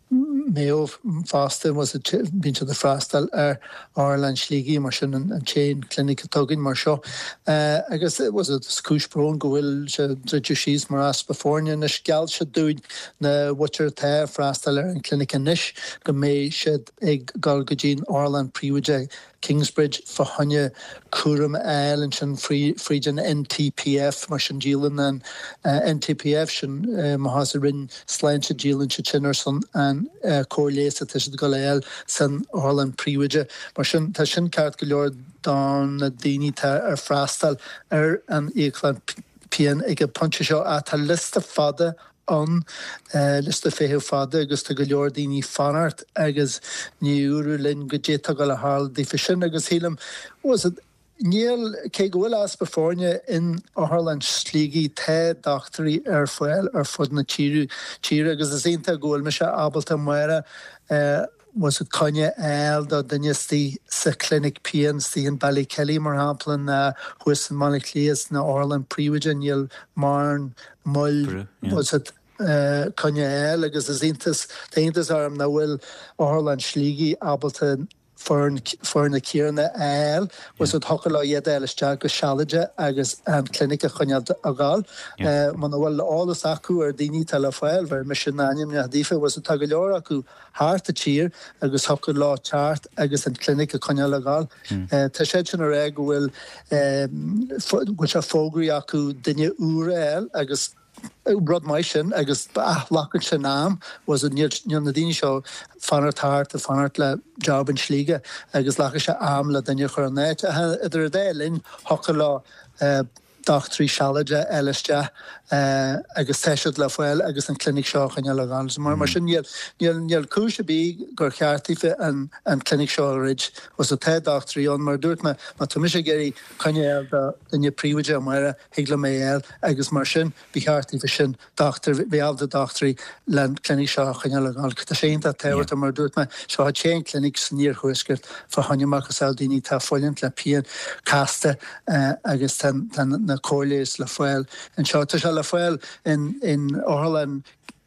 Maigh Eo fosta, bíonn siad ag freastal ar Otharlann Shligigh, mar sin an t-aon clinic atá againn mar seo. Agus is cúis bróin go bhfuil sé druidte síos mar easpa foirne. Anois gheall siad dúinn na mhuintir atá ag freastal ar an clinic anois go mbeidh siad ag dul go dtí an otharlann príobháideach Kingsbridge fá choinne cúram a fháil ansin fríd an NTPF mar sin díolann an NTPF sin má sa Roinn Sláinte díolann siad sin ar son an cóir leighis atá siad ag dul a fháil san otharlann príobháideach mar sin tá sin ceart go leor do na daoine atá ar freastal ar an íoclann pian ag an pointe seo ach tá liosta fada ann, liosta feithimh fada agus tá go leor daoine ag fanacht agus ní dúradh linn goidé atá ag dul a tharlú daofa sin agus shílim, was it, níl, cé go bhfuil easpa foirne in Otharlann Shligigh tá dochtúirí ar fáil ar fud na tíre agus is iontach go bhfuil mise ábalta amárach was it coinne a fháil do duine istigh sa clinic pian istigh in Ballykelly mar shampla ná thuas i mBaile Átha Cliath sna otharlann príobháideach níl mórán moill was it coinne a fháil agus is iontas tá iontas orm nach bhfuil otharlann Shligigh ábalta foireann foirne céanna a fháil was it thiocfadh leo iad a fháil isteach go sealadach agus an clinic a choinneáil ag gabháil. Muna bhfuil eolas acu ar daoine atá le fáil bheir mise na ainmneacha daofa was it tá go leor acu thart an tír agus thiocfadh leo teacht agus an clinic a choinneáil ag gabháil. Tá siad sin ag rá go bhfuil go bhfuil sé fógraithe acu duine úr a fháil agus rud maith sin agus ach glacann sin am was it níl níl na daoine seo fanacht thart ag fanacht le job in Sligeach agus glacfaidh sé am le duine a chur in áit. Idir an dá linn thiocfadh leo dochtúirí sealadacha a fháil isteach agus tá siad le fáil agus an clinic seo a choinneáil ag gabháil. Mar mar sin níl níl níl cúis ar bith gur cheart daofa an an clinic seo a dhruid. Was it tá dochtúirí ann mar a dúirt mé má tá mise ag iarraidh coinne a fháil do duine príobháideach amárach thig liom é a fháil agus mar sin ba cheart daofa sin dochtúir, bheith ábalta dochtúirí le an clinic seo a choinneáil ag gabháil. Tá sé iontach tábhachtach, mar a dúirt mé, seo an t-aon clinic san iarthuaisceart fá choinne macasamhail daoine atá ag fulaingt le pian casta agus tá na cóir leighis le fáil anseo. Tá sé le fáil in in Otharlann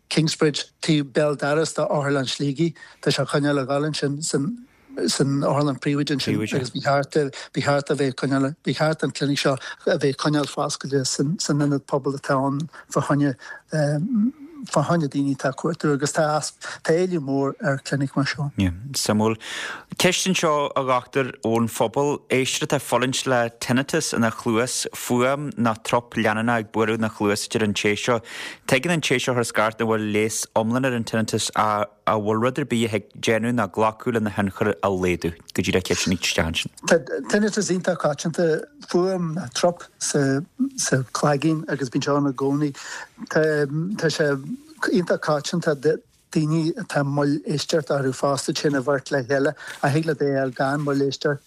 Kingsbridge taobh béal dorais de Otharlann Shligigh. Tá sé á choinneáil ag gabháil ansin san san otharlann príobháideach ansin agus ba cheart ba cheart a bheith coinneáil ba cheart an clinic seo a bheith coinneáil foscailte san san ionad pobail atá ann fá choinne fá choinne daoine atá ag cuartú agus tá tá éileamh mór ar clinic mar seo. Yeah, suimiúil. Ceist anseo a dhochtúir ón phobal, éisteoir atá ag fulaingt le tinnitus ina chluas, fuaim nó trup leanúnach ag bualadh ina chluas a deir an té seo. Tuigeann an té seo a chuir scairt nach bhfuil leigheas iomlán ar an tinnitus ach An bhfuil rud ar bith a thig déanamh ná glacadh lena thionchar a laghdú? Go díreach ceist a tháinig isteach ansin. Tá tinnitus iontach coitianta, fuaim nó trup sa sa chloigeann agus bíonn sé ann i gcónaí. Tá tá sé iontach coitianta. daoine atá moill éisteachta orthu fosta, téann an bheirt le chéile, ach thig leat é a fháil gan moill éisteachta.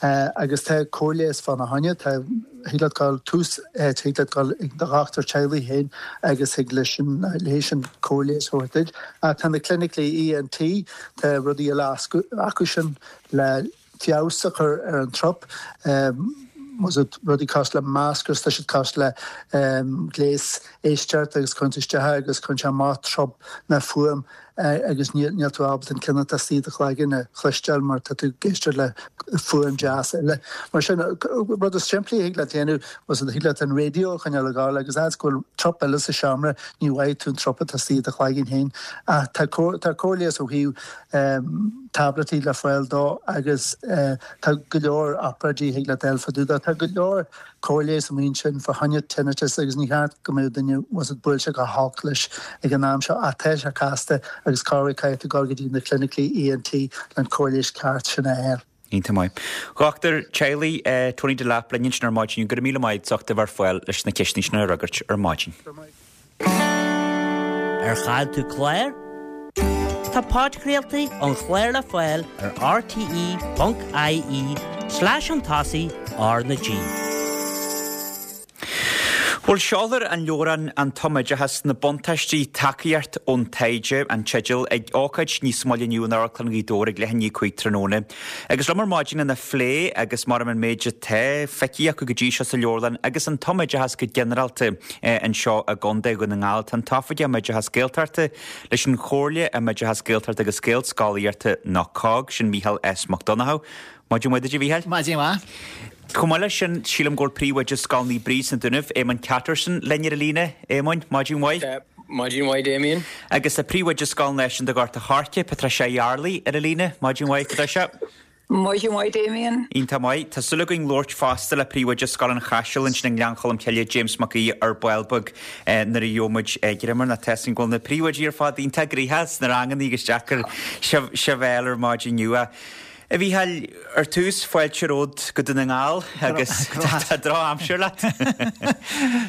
Agus tá cóir leighis fána choinne, tá, thig leat dul tús, thig leat dul ag do dhochtúir teaghlaigh féin agus thig leis sin, léi sin cóir leighis a thabhairt duit. Ach tá na clinicí ENT, tá rudaí eile acu sin le feabhas a chur ar an trup, rudaí cosúil le maskers, tá siad cosúil le gléas éisteachta agus cuireann tú isteach é agus cuireann sé amach trup na fuaim agus níl tú ábalta an ceann atá istigh i do chloigeann a chloisteáil mar tá tú ag éisteacht le fuaim deas eile. Mar sin, rud is simplí a thig leat déanamh, thig leat an raidió a choinneáil ag gabháil agus fhad is go bhfuil trup eile sa seomra ní bhfaighidh tú an trup atá istigh i do chloigeann féin. Ach tá cóir leighis ó thaobh táibléidí le fáil dó agus tá go leor obráidí a thig leat a fháil fá dtaobh dó. Tá go leor cóir leighis amuigh ansin fá choinne tinnitus agus ní cheart go mbeadh duine buailte go holc leis ag an am seo ach tá sé casta agus corruair caithfidh tú dul go dtí na clinicí ENT le an cóir leighis ceart sin a fháil. Iontach maith. Dhochtúir Teaghlaigh Tony Delap linn ansin ar maidin. Go raibh míle maith agat as ucht a bheith ar fáil leis na ceisteanna sin a fhreagairt ar maidin. Ar chaill tú clár? Tá podchraoltaí an chláir le fáil ar rte.ie slash chun tosaigh R na G. Bhuel, seolfar an leabhrán An Tumoideachas, Na Buntáistí, Tacaíocht ón Taighde, an teideal, ag ócáid níos moille inniu in Amharclann Ghaoth Dobhair ag leath i ndiaidh 5 tráthnóna. Agus liom ar maidin lena phlé agus mar an méid atá feicthe acu go dtí seo sa leabharlann agus an tumoideachas go ginearálta anseo i gContae Dhún na nGall, tá an tOifigeach um Oideachas Gaeltachta leis an Chomhairle um Oideachas Gaeltachta agus Gaelscolaíochta nó COGG, sin Mícheál S. Mac Donnchadha. Maidin mhaith duit a Mhícheáil. Maidin mhaith. Chomh maith leis sin, sílim go bhfuil Príomhoide Scoil Naomh Bríd sna Dúnaibh, Éamonn Catterson, linn ar an líne. Éamoinn, maidin mhaith. Maidin mhaith, Damien. Agus tá Príomhoide Scoil Náisiúnta Ghort a' Choirce, Patricia Yardley, ar an líne. Maidin mhaith, Patricia. Maidin mhaith, Damien. Iontach maith. Tá súil againn labhairt fosta le Príomhoide Scoil an Chaisil ansin i nGleann Cholm Cille, James Mac Aoidh, ar ball beag nuair a gheobhaidh muid greim air. Nó tá a fhios againn go bhfuil na príomhoidí ar fad iontach gnoitheach sna ranganna agus deacair sibh a fháil ar maidin inniu. A Mhícheáil, ar tús, fáilte romhat go Dún na nGall agus tá drochaimsir leat.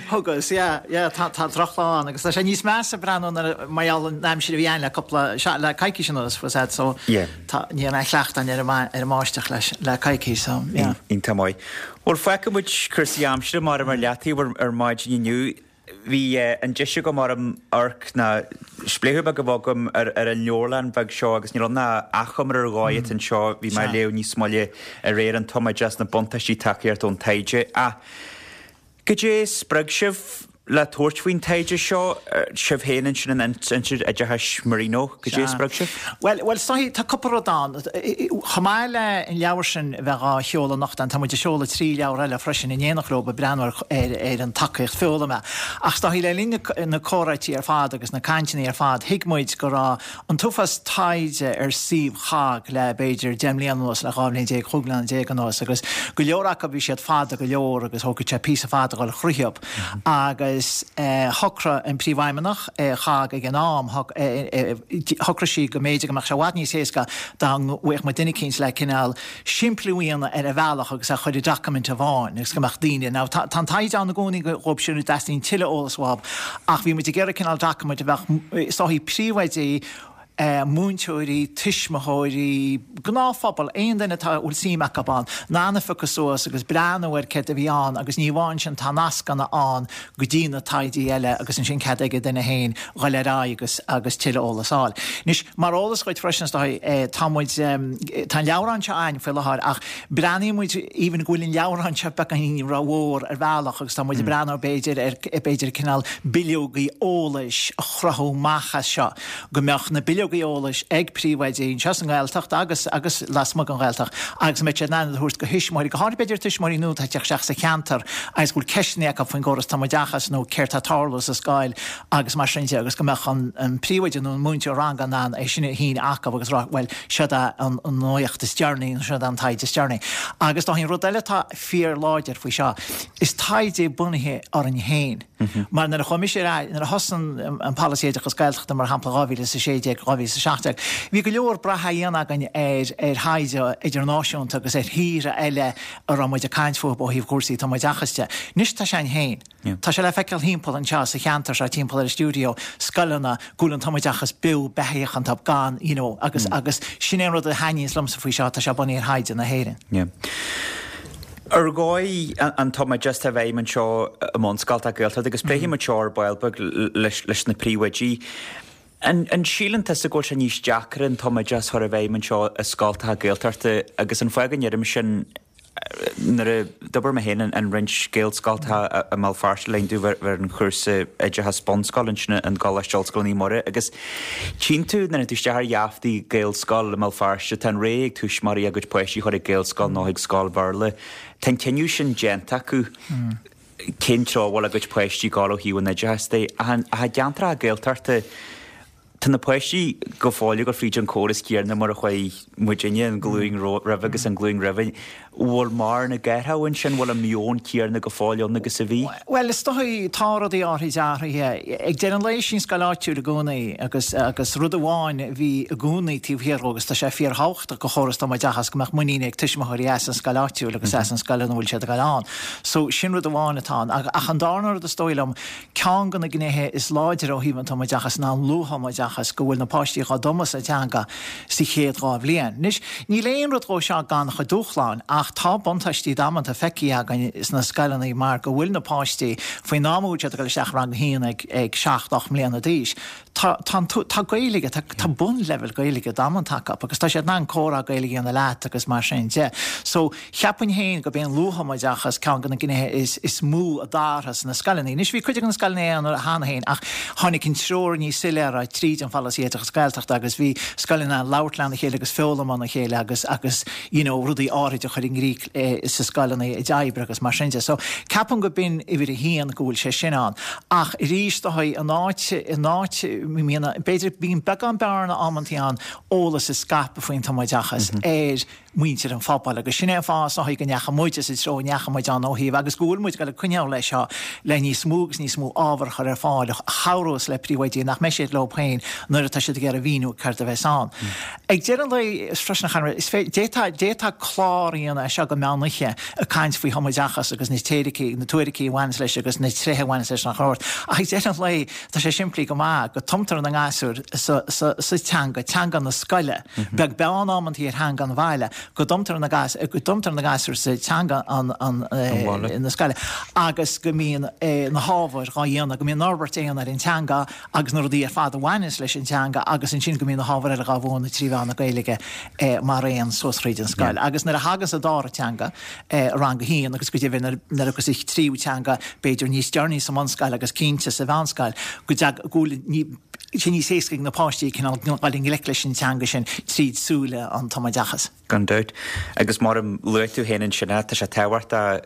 Thugas, yeah, yeah, tá drochlá ann agus tá sé níos measa breathnú nuair mar gheall an aimsir a bhí ann le cúpla, le coicís anuas, was that, so tá, ní raibh mé cleachta ar an mbáisteach leis, le coicís, so, yeah. Iontach maith. Bhuel, fágfaidh muid cúrsaí aimsire mar ar leataobh ar maidin inniu. Bhí an deis agam amharc nó spléachadh beag a bheith agam ar an leabharlann bheag seo agus níl ann ach achoimre ar dhóigh atá anseo. Bhí mé ag léamh níos moille aréir an tumoideachas, na buntáistí tacaíocht ón taighde. Ach goidé a spreag sibh le tabhairt faoin taighde seo, sibh féin ansin in Institiúid Oideachais Marino? Goidé a spreag sibh? Bhuel, bhuel, is dóichí, tá cúpla rud ann. Chomh maith le an leabhar sin a bheith dhá sheoladh anocht, tá muid ag seoladh 3 leabhar eile freisin in éineacht leo ag breathnú ar ar an tacaíocht foghlama. Ach is dóichí le linn na comhráití ar fad agus na cainteanna ar fad, thuig muid go raibh an t-uafás taighde ar suíomh CHOGG le b'fhéidir 10 mbliana anuas, le 12 bhliain, 15 bliana anuas agus go leor acu bhí siad fada go leor agus thógfadh sé píosa fada a dhul thríothub. Agus shocraigh an Príomhfheidhmeannach i CHOGG ag an am, shocraigh sí go mb'fhéidir go mbeadh sé i bhfad níos éasca dá bhfaigheadh muid duine eicínt le cineál simpliú a dhéanamh ar an bhealach agus a chur i document amháin agus go mbeadh daoine, now tá an taighde ann i gcónaí dhóibh sin a dteastaíonn tuilleadh eolas uathu ach bhí muid ag iarraidh cineál document a bheadh is dóichí príomhoidí, múinteoirí, tuismitheoirí, gnáthphobal, aon duine atá, a bhfuil suim acu ann, in ann a phiocadh suas agus breathnú ar céard a bhí ann agus ní amháin sin tá nascanna ann go dtí na taighdí eile agus ansin cead ag an duine féin dhul ar aghaidh agus agus tuilleadh eolas a fháil. Anois, mar eolas dhuit freisin is dóigh, tá muid, tá an leabhrán seo againn faoi láthair ach breathnaíonn muid even go bhfuil an leabhrán seo beagáinín rómhór ar bhealach agus tá muid ag breathnú b'fhéidir ar b'fhéidir cineál bileogaí eolais a chruthú amach as seo go mbeadh na bileogaí eolais ag príomhoidí anseo sa nGaeltacht agus agus lasmuigh den Ghaeltacht agus go mbeadh siad in ann iad a thabhairt go thuismitheoirí, go háirithe b'fhéidir tuismitheoirí nua atá ag teacht isteach sa cheantar agus go bhfuil ceisteanna acu faoin gcóras tumoideachais nó céard tá ag tarlú sa scoil agus mar sin de agus go mbeadh an an príomhoide nó an múinteoir ranga in ann é sin a shíneadh acu agus rá bhuel seod é an an nuacht is deireanaí nó seod é an taighde is deireanaí. Agus dá an rud eile atá fíorláidir faoi seo, is taighde bunaithe orainn féin. Mar nuair a chuaigh mise ar ais, nuair a thosaigh an Polasaí Oideachas Gaeltachta mar shampla 2016, 2017. 2017. Bhí go leor brath á dhéanamh againn ar ar thaighde idirnáisiúnta agus ar thíortha eile a raibh muid ag caint fúthu ó thaobh cúrsaí tumoideachais de. Anois tá sé againn féin. Tá sé le feiceáil thimpeall anseo sa cheantar seo, timpeall ar an stiúideo, scoileanna go bhfuil an tumoideachas beo beathaíoch iontu gan, you know, agus agus sin é an rud a thaitníonns liomsa faoi seo, tá sé bunaithe ar thaighde na hÉireann. Yeah. Ar dhóigh an tumoideachas atá i bhfeidhm anseo i mbunscoltacha Gaeltachta agus pléifidh muid seo ar ball beag leis na príomhoidí. An síleann tusa go bhfuil sé níos deacra an tumoideachas a chur i bhfeidhm anseo i scoltacha Gaeltachta agus an fáth go ndeirim sin nuair a d'obair mé féin in roinnt Gaelscoltacha i mBéal Feirste le linn domh bheith ar an chúrsa oideachas bunscoile ansin i gColáiste Ollscoile Naomh Muire agus tchíonn tú nuair a théann tú isteach ar gheaftaí Gaelscoil i mBéal Feirste tá an rogha ag tuismitheoirí a gcuid páistí a chur ag Gaelscoil nó chuig scoil Bhéarla. Tá an cinneadh sin déanta acu cén treo a bhfuil a gcuid páistí ag dul ó thaobh an oideachais de. Ach i gceantracha Gaeltachta Tá na páistí go fóill ag dul fríd an córas céanna mar a chuaigh muidinne, an ghlúin roimhe agus an ghlúin roimhe. Bhfuil mar na gceathracha ansin, bhfuil an meon céanna go fóill ann agus a bhí? Bhuel, is dóigh, tá rudaí áirithe athraithe. Ag deireadh an lae, sí an scoil áitiúil i gcónaí agus agus rud amháin a bhí i gcónaí taobh thiar dhó agus tá sé fíorthábhachtach do chóras tumoideachas go mbeadh muinín ag tuismitheoirí as an scoil áitiúil agus as an scoil ina bhfuil siad ag dul ann. So, sin rud amháin atá ann. Ach an darna rud is dóigh liom, Ceann de na gnéithe is láidre ó thaobh an tumoideachais ná an luath-thumoideachas, go bhfuil na páistí dhá dtumadh sa teanga sa chéad dá bhliain. Anois, níl aon rud dhó seo gan a chuid dúshláin, ach tá buntáistí damanta feicthe againn sna scoileanna mar go bhfuil na páistí, faoin am a bhfuil siad ag dul isteach i rang a haon ag ag seacht, ocht mbliana d'aois, tá tá an tá Gaeilge, tá tá bunleibhéal Gaeilge damanta acu agus tá siad in ann comhrá Gaeilge a dhéanamh leat agus mar sin de. So, Cheapfainn féin gurb é an luath-thumoideachas ceann de na gnéithe is is mó a d'athraigh sna scoileanna. Anois, bhí cuid de na scoileanna ann cheana féin ach tháinig an treoir níos soiléire tríd an Pholasaí Oideachais Gaeltachta agus bhí scoileanna ag labhairt lena chéile agus foghlaim óna chéile agus agus you know rudaí áirid a chur i gcrích sa scoileanna a d'oibrigh agus mar sin de. So, ceapaim go b'in uimhir a haon go bhfuil sé sin ann. Ach arís, is dóigh, in áit in áit mbíonn b'fhéidir bíonn beagán bearna amantaí ann eolas a scaipeadh faoin tumoideachas ar muintir an phobail agus sin é an fáth is dóigh go ndeachaigh muid sa treo a ndeachaigh muid ann ó thaobh agus go bhfuil muid ag dul ag coinneáil leis seo le níos mó agus níos mó ábhar a chur ar fáil a chabhrós le príomhoidí nach mbeidh siad leo féin nuair atá siad ag iarraidh mhíniú céard a bheas ann. Ag deireadh an lae freisin a Chonradh, is féidir, d'fhéadfá, d'fhéadfá clár a dhéanamh as seo go meán oíche ag caint faoi thumoideachas agus na teoiricí, na tuairicí a bhaineas leis agus na tréithe a bhaineas leis nach ort ach ag deireadh an lae tá sé simplí go maith go dtumtar na gasúir sa, sa, sa teanga, teanga na scoile. Beag beann amantaí ar theanga an bhaile, go dtumtar na go dtumtar na gasúir sa teanga an an na scoile agus go mbíonn na hábhair dhá dhéanamh, go mbíonn an fhorbairt á dhéanamh ar an teanga agus na rudaí ar fad a bhaineanns leis an teanga agus ansin go mbíonn na hábhair eile dhá mhúineadh trí mheán na Gaeilge mar aon suas thríd an scoil. Agus nuair a thaganns an dara teanga, rang a haon agus go deimhin nuair a thiocfas an tríú teanga b'fhéidir níos deireanaí sa mbunscoil agus cinnte sa mheánscoil, go dtag go bhfuil ní sé níos éasca ag na páistí cineál dul i ngleic leis an teanga sin tríd súile an tumoideachais. Gan dabht. Agus mar a luaigh tú féin ansin, tá sé tábhachtach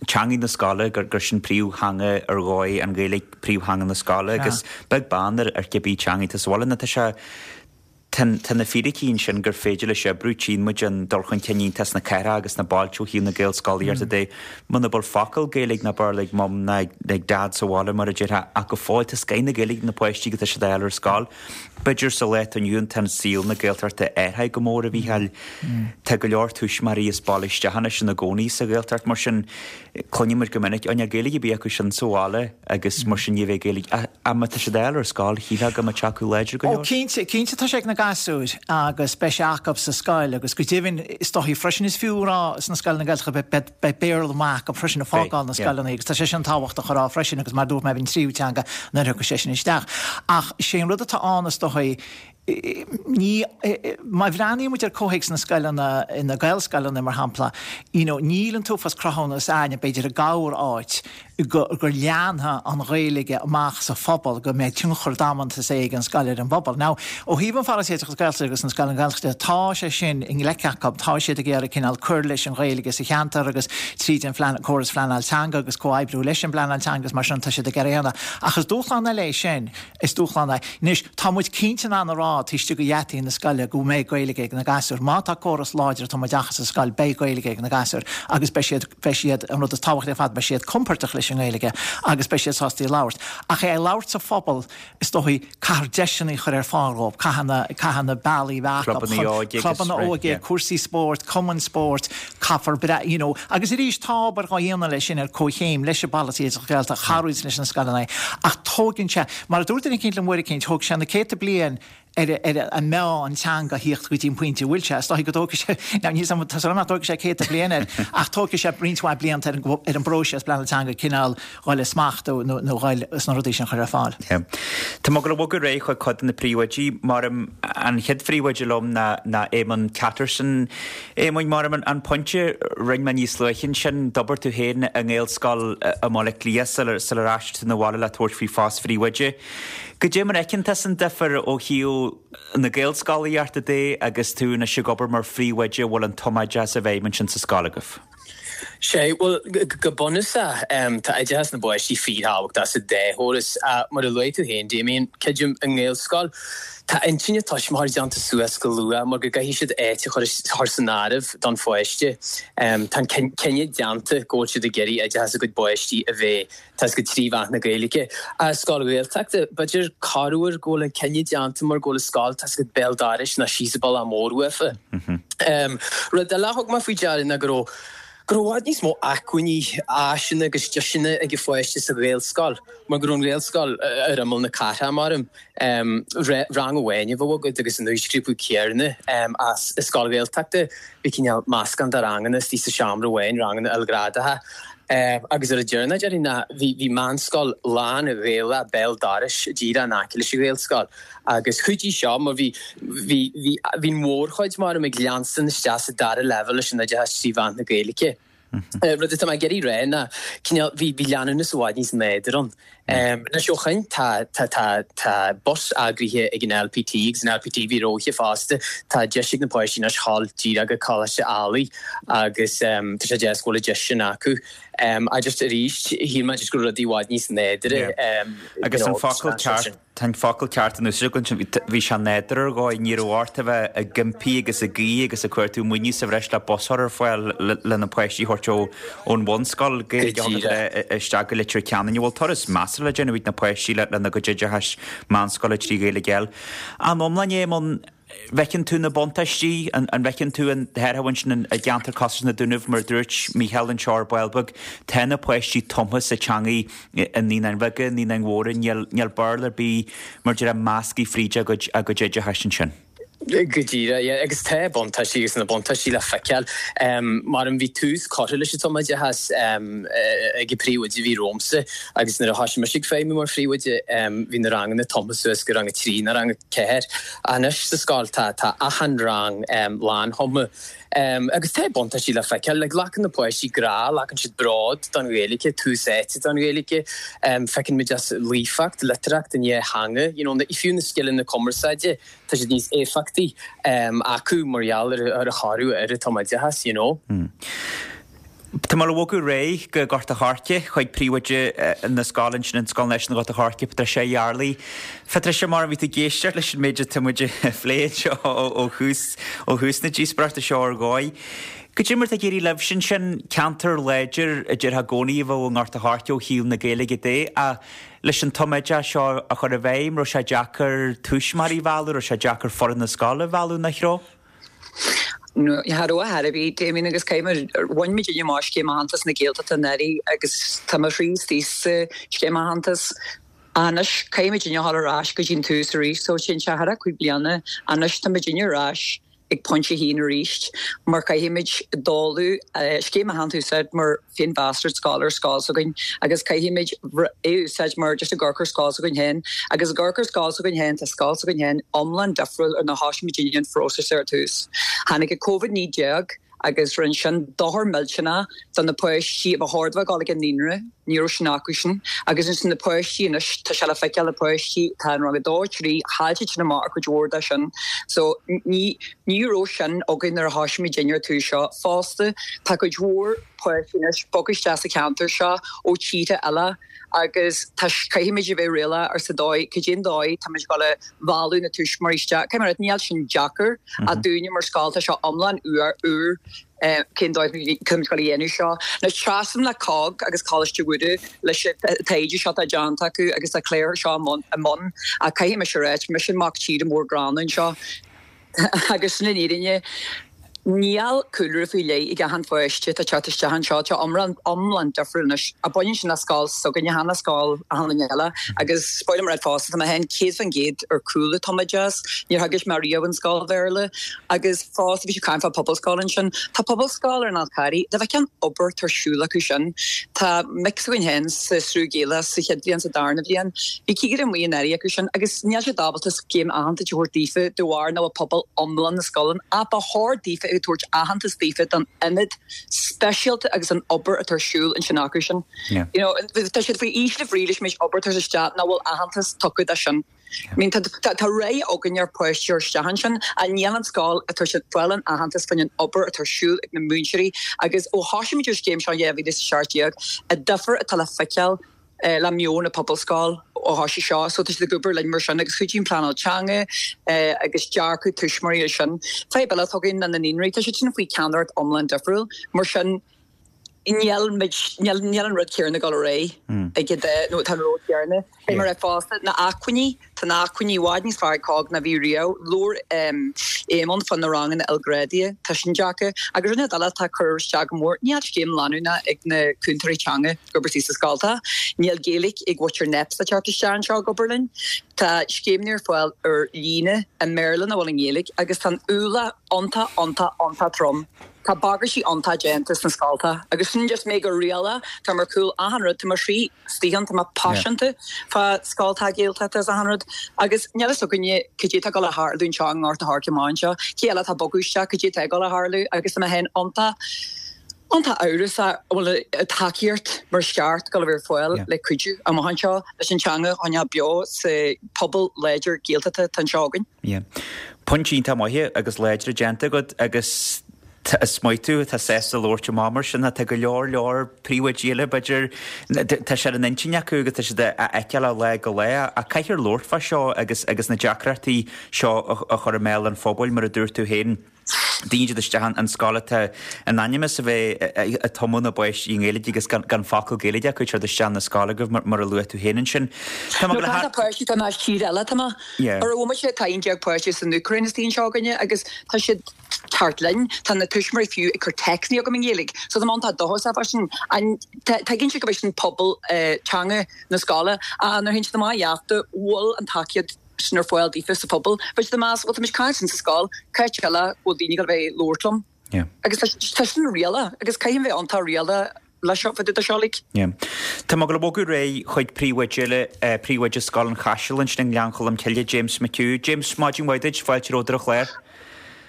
teanga na scoile, gur gur sin príomhtheanga ar dhóigh, an Ghaeilge príomhtheanga na scoile agus beag beann ar ar cibé teanga atá sa bhaile nó tá sé Tá na fíricí ansin gur féidir leis oibriú, tchíonn muid an dul chun cinn iontach sna cathracha agus sna bailte ó thaobh na Gaelscolaíochta de. Muna bhfuil focal Gaeilge ná Béarla ag Mum ná ag Dad sa bhaile, mar a déarfá, ach go fóill tá scoith na Gaeilge ag na páistí agus tá siad á fháil ar scoil. B'fhéidir sa lá atá inniu ann tá an saol na Gaeltachta athraithe go mór, a Mhícheáil. Tá go leor tuismitheoirí as baile isteach anois ina gcónaí sa Ghaeltacht, mar sin cluineann muid go minic, Ó níl Gaeilge ar bith acu sin sa bhaile. agus mar sin ní bheidh Gaeilge ach má tá siad á fháil ar scoil, shílfeá go mbeadh sé acu láidir go leor. Ó cinnte, cinnte tá sé ag na gasúir agus beidh sé acu sa scoil agus go deimhin is dóichí freisin is fiú a rá sna scoileanna Gaeltachta beidh, beidh, beidh Béarla maith acu freisin ag fágáil na scoileanna agus tá sé sin tábhachtach a rá freisin agus mar a dúirt mé bhí an tríú teanga nuair a thiocfaidh sé sin isteach. Ach sé an rud atá ann is dóichí ní, má bhreathnaíonn muid ar comhthéacs na scoileanna, na Gaelscoileanna mar shampla, you know, níl an t-uafás cruthúnas a'ainne, b'fhéidir i gcorr-áit, go, go leanfaidh an Ghaeilge amach sa phobal, go mbeidh tionchar damanta say ag an scoil ar an bpobal. Now, ó thaobh an Pholasaí Oideachais Gaeltachta agus na scoileanna Gaeltachta, tá sé sin i ngleic acu, tá siad ag iarraidh cineál cur leis an Ghaeilge sa cheantar agus tríd an phlean, córas phleanáil teanga agus comhoibriú leis an bpleanáil teanga agus mar sin tá siad ag iarraidh a dhéanamh. Ach is dúshlán eile é sin. Is dúshlán é. Anois, tá muid cinnte in ann a rá. rá taobh istigh de gheataí na scoile go mbeidh Gaeilge ag na gasúir. Má tá córas láidir tumoideachais sa scoil, beidh Gaeilge ag na gasúir agus beidh siad, beidh siad, an rud is tábhachtaí ar fad, beidh siad compordach leis an nGaeilge agus beidh siad sásta í a labhairt. Ach é a labhairt sa phobal, is dóigh, caithfear deiseanna a chur ar fáil dhóibh, caithfidh na, caithfidh na bealaí a bheith acu Clubanna óige agus, clubanna right, óige, yeah. cúrsaí spóirt, cumainn spóirt, caithfear bre, you know, agus arís tá obair dhá dhéanamh leis sin ar comhchéim leis an bpolasaí oideachais Gaeltachta, cabhraíonn leis na scoileanna ach tóigeann sé, mar a dúirt duine eicínt liom uair eicínt, thóg sé na céadta bliain ar ar an meá an teanga a thíocht go dtí an pointe a bhfuil sé. Is dóigh go dtógfaidh sé, now níl 's agam, tá súil agam nach dtógfaidh sé céadta bliain air, ach tógfaidh sé roinnt mhaith blianta ar an ar an bpróiseas pleanála teanga cineál dhul i smacht nó nó dhul sna rudaí sin a chur ar fáil. Yeah. Tá mé ag gabháil a bhogadh ar aghaidh chuig cuid de na príomhoidí. Maram, an chéad phríomhoide liom ná ná Éamonn Catterson. Éamoinn, maram, an an pointe a rinne mé níos luaithe ansin, d'obair tú féin i nGaelscoil i mBaile Átha Cliath sular sular aistrigh tú 'na bhaile le tabhairt faoi phost phríomhoide. Goidé mar a fheiceann tusa an difear ó thaobh na Gaelscolaíochta de agus tú anois ag obair mar phríomhoide a bhfuil an tumoideachas i bhfeidhm ansin sa scoil agaibh? Sea, bhuel, go bunúsach, tá oideachas na bpáistí fíorthábhachtach sa dá chóras. Mar a luaigh tú féin, Damien, creidim, i nGaelscoil, tá intinn na tuismitheoirí déanta suas go luath mar go gcaithfidh siad áit a chur san áireamh don pháiste. Tá an cinneadh déanta go bhfuil siad ag iarraidh oideachas a gcuid bpáistí a bheith tá 's agat trí mheán na Gaeilge. I scoil Ghaeltachta, b'fhéidir corruair go bhfuil an cinneadh déanta mar go bhfuil an scoil, tá 's agat béal dorais nó síos an bealach mór uafa. Rud eile a thug mé faoi deara ná go raibh go raibh i bhfad níos mó acmhainní, áiseanna agus deiseanna ag an pháiste sa Ghaelscoil mar go raibh an Ghaelscoil ar imeall na cathrach, maram. Rang amháin a bheadh agat agus an aoisghrúpa céanna ach i scoil Ghaeltachta. Bhí cineál meascán de ranganna istigh sa seomra amháin, ranganna ilghrádacha. Agus ar an deireanach, déarfainn ná bhí bhí meánscoil lán-Ghaelach béal dorais díreach in aice leis an Ghaelscoil. Agus chuidigh seo mar bhí bhí bhí bhí an mhórchuid maram ag leanstan isteach sa dara leibhéal leis an oideachas trí mheán na Gaeilge. Rud atá mé ag iarraidh rá ná cineál bhí bhí leanúnas i bhfad níos nádúrtha ann. Anois ó shoin tá tá tá tá bus eagraithe ag an LPT agus an LPT bhí róithe fosta. Tá deis ag na páistí anois dhul díreach go Coláiste Ailigh agus tá sé deas go bhfuil an deis sin acu. I just arís shíl mé just go raibh rudaí i bhfad níos nádúrtha you Agus an know focal ceart Tá an focal ceart in úsáid agat ansin. Bhí sé nádúrtha ar dhóigh. Ní raibh ort a bheith ag impí agus ag guí agus ag cuartú maoiniú sa bhreis le bus a chur ar fáil le na páistí a thabhairt ón bhunscoil Gaeilge a thugadar isteach go Leitir Ceanainn. An bhfuil turas measartha le déanamh ag na páistí lena gcuid oideachais meánscoile trí Ghaeilge a fháil. An iomlán, Éamonn, bhfeiceann tú na buntáistí? An bhfeiceann tú an tairbhe ansin i gceantar cosúil leis na Dúnaibh, mar a dúirt Mícheál anseo ar ball beag, tá na páistí tumtha sa teangaidh i Naíonáin Bheaga, Naíonáin Mhóra, níl Béarla ar bith mar a déarfá measctha fríd a gcuid oideachais ansin. Go díreach, yeah. Agus tá buntáistí agus na buntáistí le feiceáil. Maram bhí tús curtha leis an tumoideachas ag an príomhoide a bhí romhamsa agus nuair a thoisigh mise ag feidhmiú mar phríomhoide bhí na ranganna tumtha suas go rang a trí nó rang a ceathair. Anois sa scoil tá tá achan rang lánthumtha. Agus tá buntáistí le feiceáil. Like glacann na páistí grá, glacann siad bród don Ghaeilge, tús áite don Ghaeilge. Feiceann muid as líofacht, litearthacht an dá theanga, you know, fiú na scileanna cumarsáide, tá siad níos éifeachtaí acu mar gheall ar an thoradh ar an tumoideachas, you know. Tá mé le bhogadh ar aghaidh go Gort a' Choirce chuig príomhoide na scoile ansin, an Scoil Náisiúnta Ghort a' Choirce, Patricia Yardley. Patricia, mar a bhí tú ag éisteacht leis an méid atá muid a phlé anseo ó thús, ó thús na díospóireachta seo ar dhóigh. Goidé mar atá ag éirí libhse ansin, ceantar láidir a déarfá i gcónaí a bheadh i nGort a' Choirce ó thaobh na Gaeilge de, ach leis an tumoideachas seo a chur i bhfeidhm, raibh sé deacair tuismitheoirí a mhealladh, raibh sé deacair foireann na scoile a mhealladh ina threo? Cha raibh ar chor ar bith, Damien, agus caithfidh mé, bhain muidinne amach Scéim Aitheantais na Gaeltachta anuraidh agus tá mo chroí istigh sa Scéim Aitheantais. Anois, caithfidh muidinne a dhul ar ais go dtí an tús arís, so téann sé thar cúig bliana, anois tá muidinne ar ais ag pointe a haon arís mar caithfimid dul Scéim Aitheantais a úsáid mar féinmheas ar scoil ar scoil s'againn agus caithfimid é a úsáid mar just ag amharc ar scoil s'againn féin agus ag amharc ar scoil s'againn féin tá scoil s'againn féin iomlán difriúil ar nuair a thosaigh muidinne an phróiseas ar tús. Tháinig an Covid-19 agus rinne sin dochar millteanach do na páistí a ba chóir dóibh a dhul ag an naíonra. Ní raibh sin acu sin. Agus ansin na páistí anois, tá sé le feiceáil na páistí atá in rang a dó, trí, chaill siad sin amach ar cuid mhór de sin. So ní, ní raibh sin againn nuair a thoisigh muidinne ar tús seo. Fosta, tá cuid mhór páistí anois bogtha isteach sa cheantar seo ó tíortha eile agus tá, caithfimid a bheith réalaíoch ar sa dóigh, cad é an dóigh tá muid ag dul a mhealladh na tuismitheoirí isteach. Caithfidh mé a rá, níl sin deacair ach dúinne mar scoil tá sé iomlán úr, úr. Cén dóigh tá muid ag dul a dhéanamh seo? Anois seasaim le COGG agus Coláiste Mhuire leis an taighde seo atá déanta acu agus tá clár seo i mbun ach caithfidh mise a ráit, mise an mac tíre mór gránna anseo agus sin an fhírinne. Níl cúlra faoi leith ag achan pháiste atá ag teacht isteach anseo, tá iomlán iomlán difriúil anois. Ach baineann sin le scoil s'againne, chan le scoil achan duine eile agus ba mhaith liom a rá fosta, tá mé féin 100% ar cúl an tumoideachas, níor theagasc mé riamh in scoil Bhéarla agus Fosta, bhí siad ag caint fá pobalscoil ansin. Tá pobalscoil ar an Fhál Carraigh. Dá bhfeicfeá an obair atá ar siúl acu sin. Tá mic s'againn féin sa Sruth Gaelach sa chéad bhliain, sa darna bhliain. Bhí cigire amuigh anuraidh acu sin agus níl siad ábalta scéim aitheantais a thabhairt daofa de bharr nach bhfuil pobal iomlán na scoile ann. Ach ba chóir daofa ag tabhairt aitheantas daofa don ionad speisialta agus an obair atá ar siúl ansin acu sin. You know, tá siad faoi ísle bhrí leis an méid obair atá isteach nach bhfuil aitheantas tugtha dó sin. I mean tá tá rogha againn ar páistí a chur isteach ansin ach níl an scoil ag tabhairt fáil an aitheantas faoin an obair atá ar siúl ag na múinteoirí agus ó thosaigh muid ar scéim seo in 2017 an difear atá le feiceáil le meon na pobalscoil ó thosaigh seo so tá siad ag obair linn mar sin agus cuidíonn pleanáil teanga agus dearcadh tuismitheoirí leis sin. Fadhb eile atá againn ná na naíonraí tá siad sin faoi ceannaireacht iomlán difriúil mar sin Níl muid, níl, níl an rud céanna ag dul ar aghaidh ag an dá, nó tá an rud céanna. Beidh mar é fosta, na acmhainní, tá na acmhainní i bhfad níos fearr ag COGG ná bhí riamh. Labhair Éamonn fá na ranganna ilghrádaithe, tá sin deacair. Agus rud eile atá ag cur isteach go mór, níl scéim leanúnach ag na cúntóirí teanga ag obair sa scoltacha. Níl Gaeilge ag mhuintir NEPS le teacht isteach anseo ag obair linn. Tá scéimeanna ar fáil ar líne i mBéarla nach bhfuil i nGaeilge agus tá an ualach iontach, iontach, iontach trom. Tá bagairtí iontach déanta sna scoltacha agus sin just mé go réalaíoch, táim ar cúl achan rud, tá mo chroí istigh ann, tá mé paiseanta fá scoltacha Gaeltachta is achan rud agus níl fhios againne cad é tá ag dul a tharlú anseo i nGort a' Choirce amach anseo, cé eile atá ag bogadh isteach, cad é atá ag dul a tharlú agus tá mé féin iontach, iontach amhrasach an bhfuil an tacaíocht mar is ceart ag dul a bheith ar fáil le cuidiú amach anseo leis an teanga a choinneáil beo sa pobal láidir Gaeltachta atá anseo againn. Yeah. Pointí iontach maithe agus láidre déanta agat agus is maith tú atá sásta labhairt amach mar sin. Tá go leor leor príomhoidí eile b'fhéidir, tá sé ar an intinn acu agus tá siad á fheiceáil ó lá go lá ach caithfear labhairt fá seo agus agus na deacrachtaí seo a chur i mbéal an phobail mar a dúirt tú féin. Daoine ag dul isteach an scoil atá in ainm is a bheith ag tumadh na bpáistí i nGaeilge agus gan focal Gaeilge acu ag teacht isteach na scoile agaibh mar a luaigh tú féin ansin. Tá mé ag páistí tá as tír eile tá mé ar a bhfuil sé tá 11 páiste san Úcráin istigh anseo againne agus tá siad thart linn. Tá na tuismitheoirí fiú ag cur téacsanna chugam i nGaeilge. So tá mé iontach dóchasach fá sin. Tuigeann siad go bhfuil sin pobal teanga na scoile ach nuair a théann siad amach gheafta bhfuil an tacaíocht sin ar fáil daofa sa phobal. Beidh siad ag meas, bhuel tá muid ag caint sa scoil, cá háit eile bhfuil daoine ag dul a bheith ag labhairt liom? Yeah. Agus tá sin réalach agus caithfidh bheith iontach réalach leis seo, fá dtaobh de seo like. Yeah. Tá mé ag dul a bhogadh ar aghaidh chuig príomhoide eile, príomhoide Scoil an Chaisil ansin i nGleann Cholm Cille, James McHugh. James, maidin mhaith duit, fáilte romhat ar an chlár.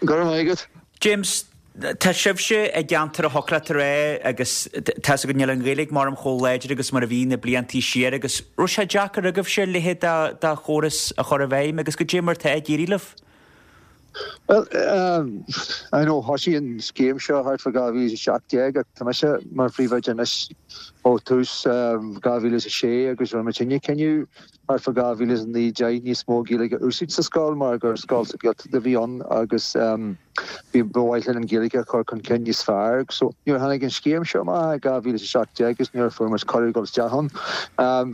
Go raibh maith agat. James, Tá sibhse i gceantar a thiocfadh leat a rá agus tá 'fhios agat níl an Ghaeilge mar chomh láidir agus mar a bhí na bliantaí siar agus raibh sé deacair agaibhse a leithéid de chóras a chur i bhfeidhm agus goidé mar tá ag éirí libh? Bhuel, I know thosaigh an scéim seo thart fá 2017 ach tá mise mar phríomhoide anois ó tús 2006 agus rinne muidinne cinneadh thart fá 2009 10 níos mó Gaeilge a úsáid sa scoil mar gur scoil sa Ghaeltacht a bhí ann agus bhí ba mhaith linn an Ghaeilge a chur chun cinn níos fearr. So nuair a tháinig an scéim seo amach i 2017 agus nuair a fuair muid cuireadh dul isteach ann,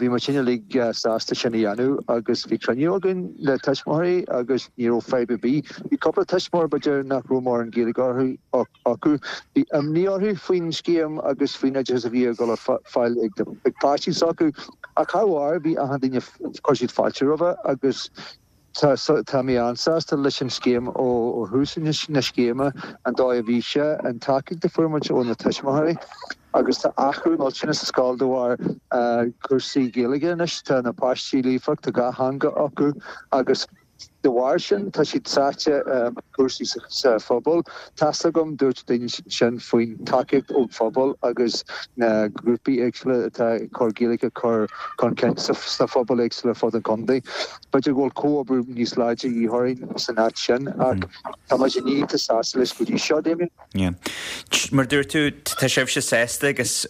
bhí muid uilig sásta sin a dhéanamh agus bhí cruinniú againn le tuismitheoirí agus ní raibh fadhb ar bith. Bhí cúpla tuismitheoir b'fhéidir nach raibh mórán Gaeilge orthu acu. Bhí imní orthu faoin scéim agus faoin oideachas a bhí ag dul ar fáil ag páistí s'acu ach thar bharr bhí achan duine, chuir siad fáilte roimhe agus tá mé an-sásta leis an scéim ó thús na scéime, an dóigh a bhí sé, an tacaíocht a fuair muid ó na tuismitheoirí agus tá athrú millteanach sa scoil de bharr cúrsaí Gaeilge anois, tá na páistí líofa, tá dhá theanga acu agus. De bharr sin, tá siad sáite i gcúrsaí sa phobal. Tá's agam, dúirt daoine sin faoin tacaíocht ón phobal agus na grúpaí éagsúla atá ag cur Gaeilge a chur chun cinn sna phobail éagsúla ar fud an chontae. B'fhéidir go bhfuil comhoibriú níos láidre de dhíth orainn san áit sin ach tá muid iontach sásta leis go dtí seo, Damien. Yeah. Mar dúirt tú, tá sibhse sásta agus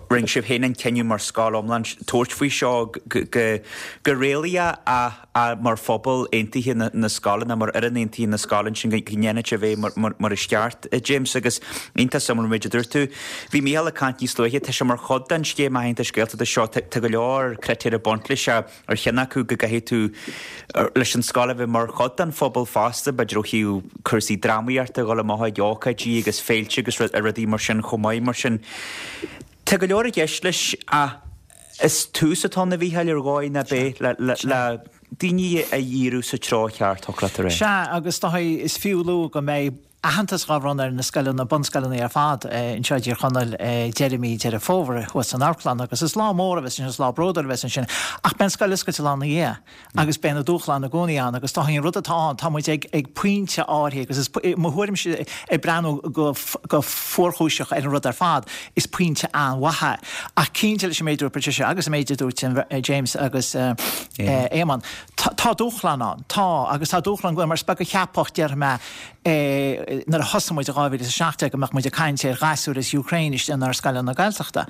rinne sibh féin an cinneadh mar scoil iomlán tabhairt faoi seo go réalaíoch ach mar phobal aontaithe na scoile nó mar fhoireann aontaithe na scoile ansin go ndéanfaidh sibh é mar is ceart, James, agus iontach suimiúil an méid a dúirt tú. Bhí Mícheál ag caint níos luaithe, tá sé mar chuid den scéim aitheantais Gaeltachta seo, tá go leor critéir ag baint leis Ar cheann acu go gcaithfidh tú leis an scoil a bheith mar chuid den phobal fosta, b'fhéidir ó thaobh cúrsaí drámaíochta, dhul amach ag ócáidí agus féilte agus rudaí mar sin chomh maith. Mar sin, tá go leor i gceist leis ach is tús atá ann a Mhícheáil ar dhóigh ná beidh le daoine a dhíriú sa treo cheart, thiocfadh leat a rá. Sea, agus is fiú a lua go mbeidh aitheantas dhá bhronnadh ar na scoileanna, bunscoileanna ar fad anseo i dTír Chonaill deireadh mí Deireadh Fómhair thuas san amharclann agus is lá mór a bheas ansin, is lá bródúil a bheas ansin ach beidh an scoil oscailte lá ina dhiaidh agus beidh na dúshláin i gcónaí ann agus tá an rud atá ann, tá muid ag ag pointe áirithe agus is i mo thuairimse ag breathnú go go fuarchúiseach ar an rud ar fad, is pointe an-mhaith é. Ach cinnte leis an méid a dúirt Patricia agus an méid a dúirt James agus Éamonn, Tá dúshlán ann, tá, agus tá dúshlán go mar is beag a cheapfadh, déarfaidh mé, nuair a thosaigh muid i 2017 go mbeadh muid ag caint ar ghasúir as Ukraine istigh inár scoileanna Gaeltachta.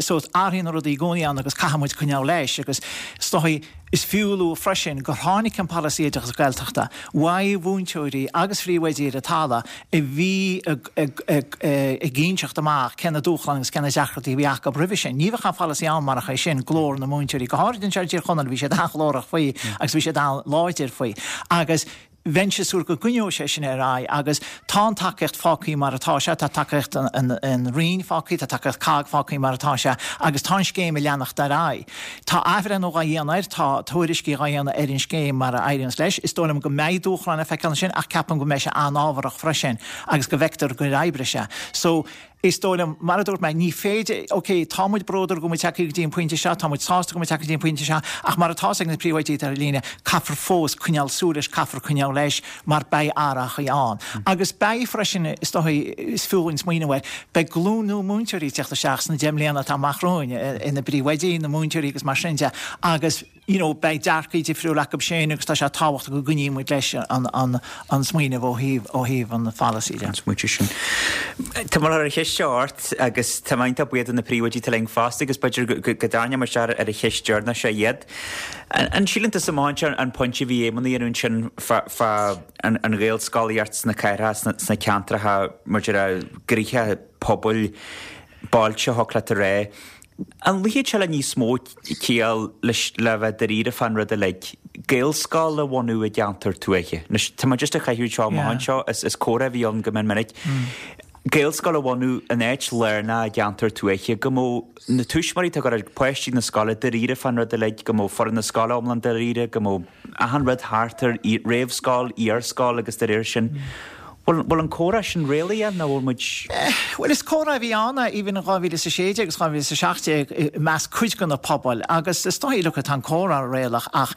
So athraíonn na rudaí i gcónaí ann agus caithfidh muid coinneáil leis agus is dóigh, is fiú a lua freisin gur tháinig an polasaí oideachais Gaeltachta uaidh mhúinteoirí agus phríomhoidí ar an talamh a bhí ag inseacht amach cé na dúshláin agus cé na deacrachtaí a bhí acu roimhe sin. Ní bheadh an pholasaí ann marach é sin, glór na múinteoirí, go háirid anseo i dTír Chonaill, bhí siad an-ghlórach faoi agus bhí siad an-láidir faoi. Agus bheinnse ag súil go gcoinneoidh sé sin ar aghaidh agus tá an tacaíocht fágtha mar atá sé, tá tacaíocht an Roinn fágtha, tá tacaíocht COGG fágtha mar atá sé agus tá an scéim ag leanacht ar aghaidh. Tá athbhreithniú dhá dhéanamh air, tá tuairiscí dhá dhéanamh ar an scéim mar a éiríonns leis. Is dóigh liom go mbeidh dúshláin le feiceáil ansin ach ceapaim go mbeidh sé an-ábharach freisin agus go bhfeictear gur oibrigh sé. So, is dóigh liom, mar a dúirt mé, ní féidir, ok, tá muid bródúil go bhfuil muid tagtha go dtí an pointe seo, tá muid sásta go bhfuil muid tagtha go dtí an pointe seo, ach mar atá ag na príomhoidí atá ar líne, caithfear fós coinneáil súil leis, caithfear coinneáil leis mar beidh athrachaí ann. Agus beidh freisin, is dóigh, is fiú dhúinn smaoineamh air, Beidh glúin nua múinteoirí ag teacht isteach sna 10 mbliana atá amach romhainn, ina bpríomhoidí, ina múinteoirí agus mar sin de, agus you know beidh dearcaí difriúla acu sin agus tá sé tábhachtach go gcoinníonn muid leis an an an smaoineamh ó thaobh ó thaobh an pholasaí de. An smaointe sin. Tá mé ar an cheist seo ort agus tá mé iontach buíoch do na príomhoidí atá linn fosta agus b'fhéidir go go dtarraingeoidh muid isteach ar an cheist deireanach seo iad. An síleann tusa amach anseo an pointe a bhí Éamonn a dhéanamh ansin fá fá an Ghaelscolaíocht sna cathracha, sna ceantracha maidir le gnoithe pobail, bailte, thiocfadh leat a rá. An luífeadh sé le níos mó ciall leis le bheith dáiríre fán rud uilig, Gaelscoil a bhunú i gceantar tuaithe? Anois, tá mé just ag caitheamh seo amach anseo, is comhrá a bhí ann go mion minic. Gaelscoil a bhunú in áit lárnach i gceantar tuaithe, go mbeadh na tuismitheoirí atá ag cur páistí na scoile dáiríre fán rud uilig, go mbeadh foireann na scoile iomlán dáiríre, go mbeadh. achan rud thart ar réamhscoil, iarscoil agus de réir sin. Bhfuil, bhfuil an comhrá sin réalaíoch nó bhfuil muid. Bhuel, is comhrá a bhí ann even in 2016 agus 2017 i measc cuid de na pobail agus is dóigh, look, tá an comhrá réalach ach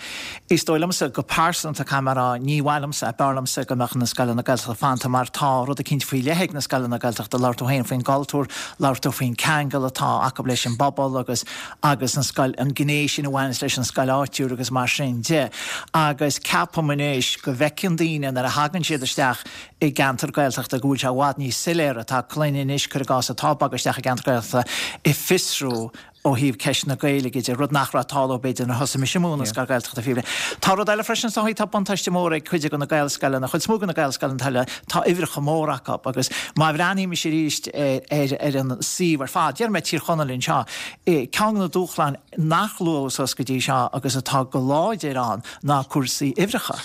is dóigh liomsa go pearsanta, caithfidh mé a rá, ní mhaith liomsa, b'fhearr liomsa go mbeadh na scoileanna Gaeltachta fanta mar tá rud eicínt faoi leith ag na scoileanna Gaeltachta, labhair tú féin faoin gcultúr, labhair tú faoin ceangal atá acu leis an bpobal agus agus an scoil, an gné sin a bhaineas leis an scoil áitiúil agus mar sin de. Agus ceapaim anois go bhfeiceann daoine nuair a thagann siad isteach i gceantar Gaeltachta go bhfuil sé i bhfad níos soiléire, tá clainn anois, cuir i gcás, atá ag bogadh isteach i gceantar Gaeltachta ag fiosrú ó thaobh ceist na Gaeilge de, rud nach raibh ag tarlú b'fhéidir nuair a thosaigh mise ag múineadh scoil Ghaeltachta fiú. Tá rud eile freisin is dóigh, tá buntáiste mór ag cuid de na Gaelscoileanna, chuid is mó de na Gaelscoileanna atá le, tá uimhreacha móra acu agus má bhreathnaímis arís ar an suíomh ar fad, déarfaidh mé Tír Chonaill anseo, ceann de na dúshláin nach luadh suas go dtí seo agus atá go láidir ann ná cúrsaí uimhreacha.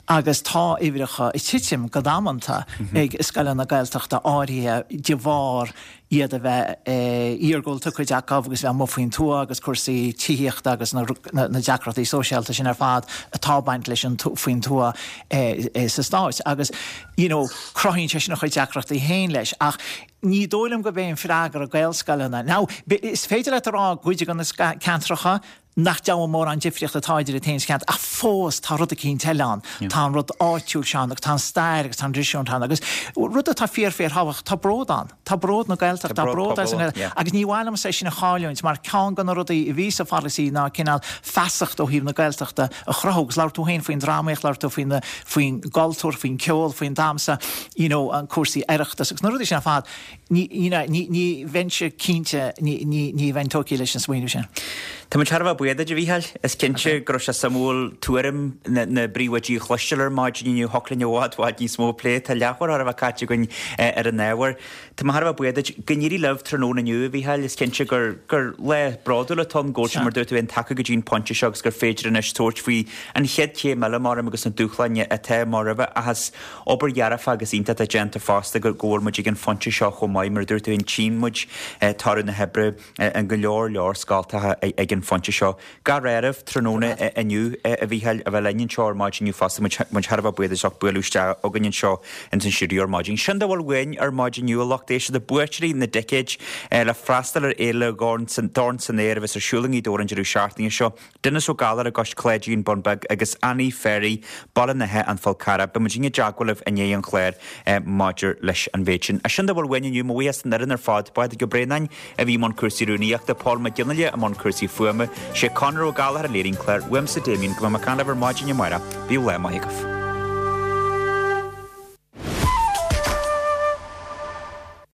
Agus tá uimhreacha ag titim go damanta ag scoileanna Gaeltachta áirithe de bharr iad a bheith iargúlta, cuid acu, agus bheith amuigh faoin tuath agus cúrsaí tithíochta agus na deacrachtaí sóisialta sin ar fad atá ag baint leis an faoin tuath sa Stát. Agus you know cruthaíonn sé sin a chuid deacrachtaí féin leis. Ach ní dóigh liom gurb é an freagra Gaelscoileanna. Now, is féidir leat a rá i gcuid de na ceantracha. Nach deabhadh mórán difríocht atá idir iad féin sa cheantar, ach fós tá rud eicínt eile ann. Tá an rud áitiúil seo ann agus tá an stair agus tá an traidisiún ann agus rud atá fíor fíor thábhachtach, tá bród ann. Tá bród na Gaeltachta, tá bród as an nGaeilge agus ní mhaith liomsa é sin a chailliúint mar ceann de na rudaí a bhí sa pholasaí ná cineál feasacht ó thaobh na Gaeltachta a chruthú agus labhair tú féin faoin drámaíocht, labhair tú faoin faoin gcultúr, faoin ceol, faoin damhsa, you know, an cúrsaí Oireachtas agus na rudaí sin ar fad. Ní, you know, ní, ní bheinnse cinnte, ní, ní, ní bheinn tógtha leis an smaoineamh sin. Tá muid thar a bheith buíoch duit, a Mhícheáil. Is cinnte go raibh sé suimiúil tuairim na, na bpríomhoidí a chloisteáil ar maidin inniu. Thiocfadh linn i bhfad, bhfad níos mó a phlé. Tá leathuair thar a bheith caite againn ar an ábhar. Tá mé thar a bheith buíoch duit. Go n-éirí libh tráthnóna inniu, a Mhícheáil. Is cinnte gur, gur lá bródúil atá ann go bhfuil sibh, mar dúirt tú féin, tagtha go dtí an pointe seo agus gur féidir anois tabhairt faoi an chéad chéim eile, mar agus na dúshláin atá amach roimhe. Ach is Obair dhearfach agus iontach atá déanta fosta go bhfuil muid ag an phointe seo chomh maith. Mar a dúirt tú féin, tchíonn muid toradh na hoibre in go leor leor scoltacha ag an phointe seo. Gach rath oraibh tráthnóna inniu, a Mhícheáil, a bheith linn anseo ar maidin inniu fosta. Muid thar a bheith buíoch as ucht bualadh isteach chugainn anseo ins an stiúideo ar maidin. Sin dá bhfuil uainn ar maidin inniu, a lucht éisteachta, buaiteoirí na dticéid le freastal ar Fhéile Dorn san Aer a bheas ar siúl i nGaoth Dobhair an deireadh seachtaine seo. Denis Ó Gallchóir i gCois Cláidí, An Bun Beag, agus Annie Ferry, Baile an Átha, An Fál Carrach. Beidh muid i dteagmháil libh i ndiaidh an chláir maidir leis an mhéid sin. Sin dá bhfuil uainn inniu, mo bhuíochas don fhoireann ar fad, Pádraig Ó Braonáin a bhí i mbun cúrsaí rúnaíochta, Paul Mac Fhionnghaile i mbun cúrsaí fuaime, sé Conor Ó Gallchóir a léirigh an clár, uaimse Damien, go mbeidh mé ag caint libh ar maidin amárach. Bíodh lá maith agaibh.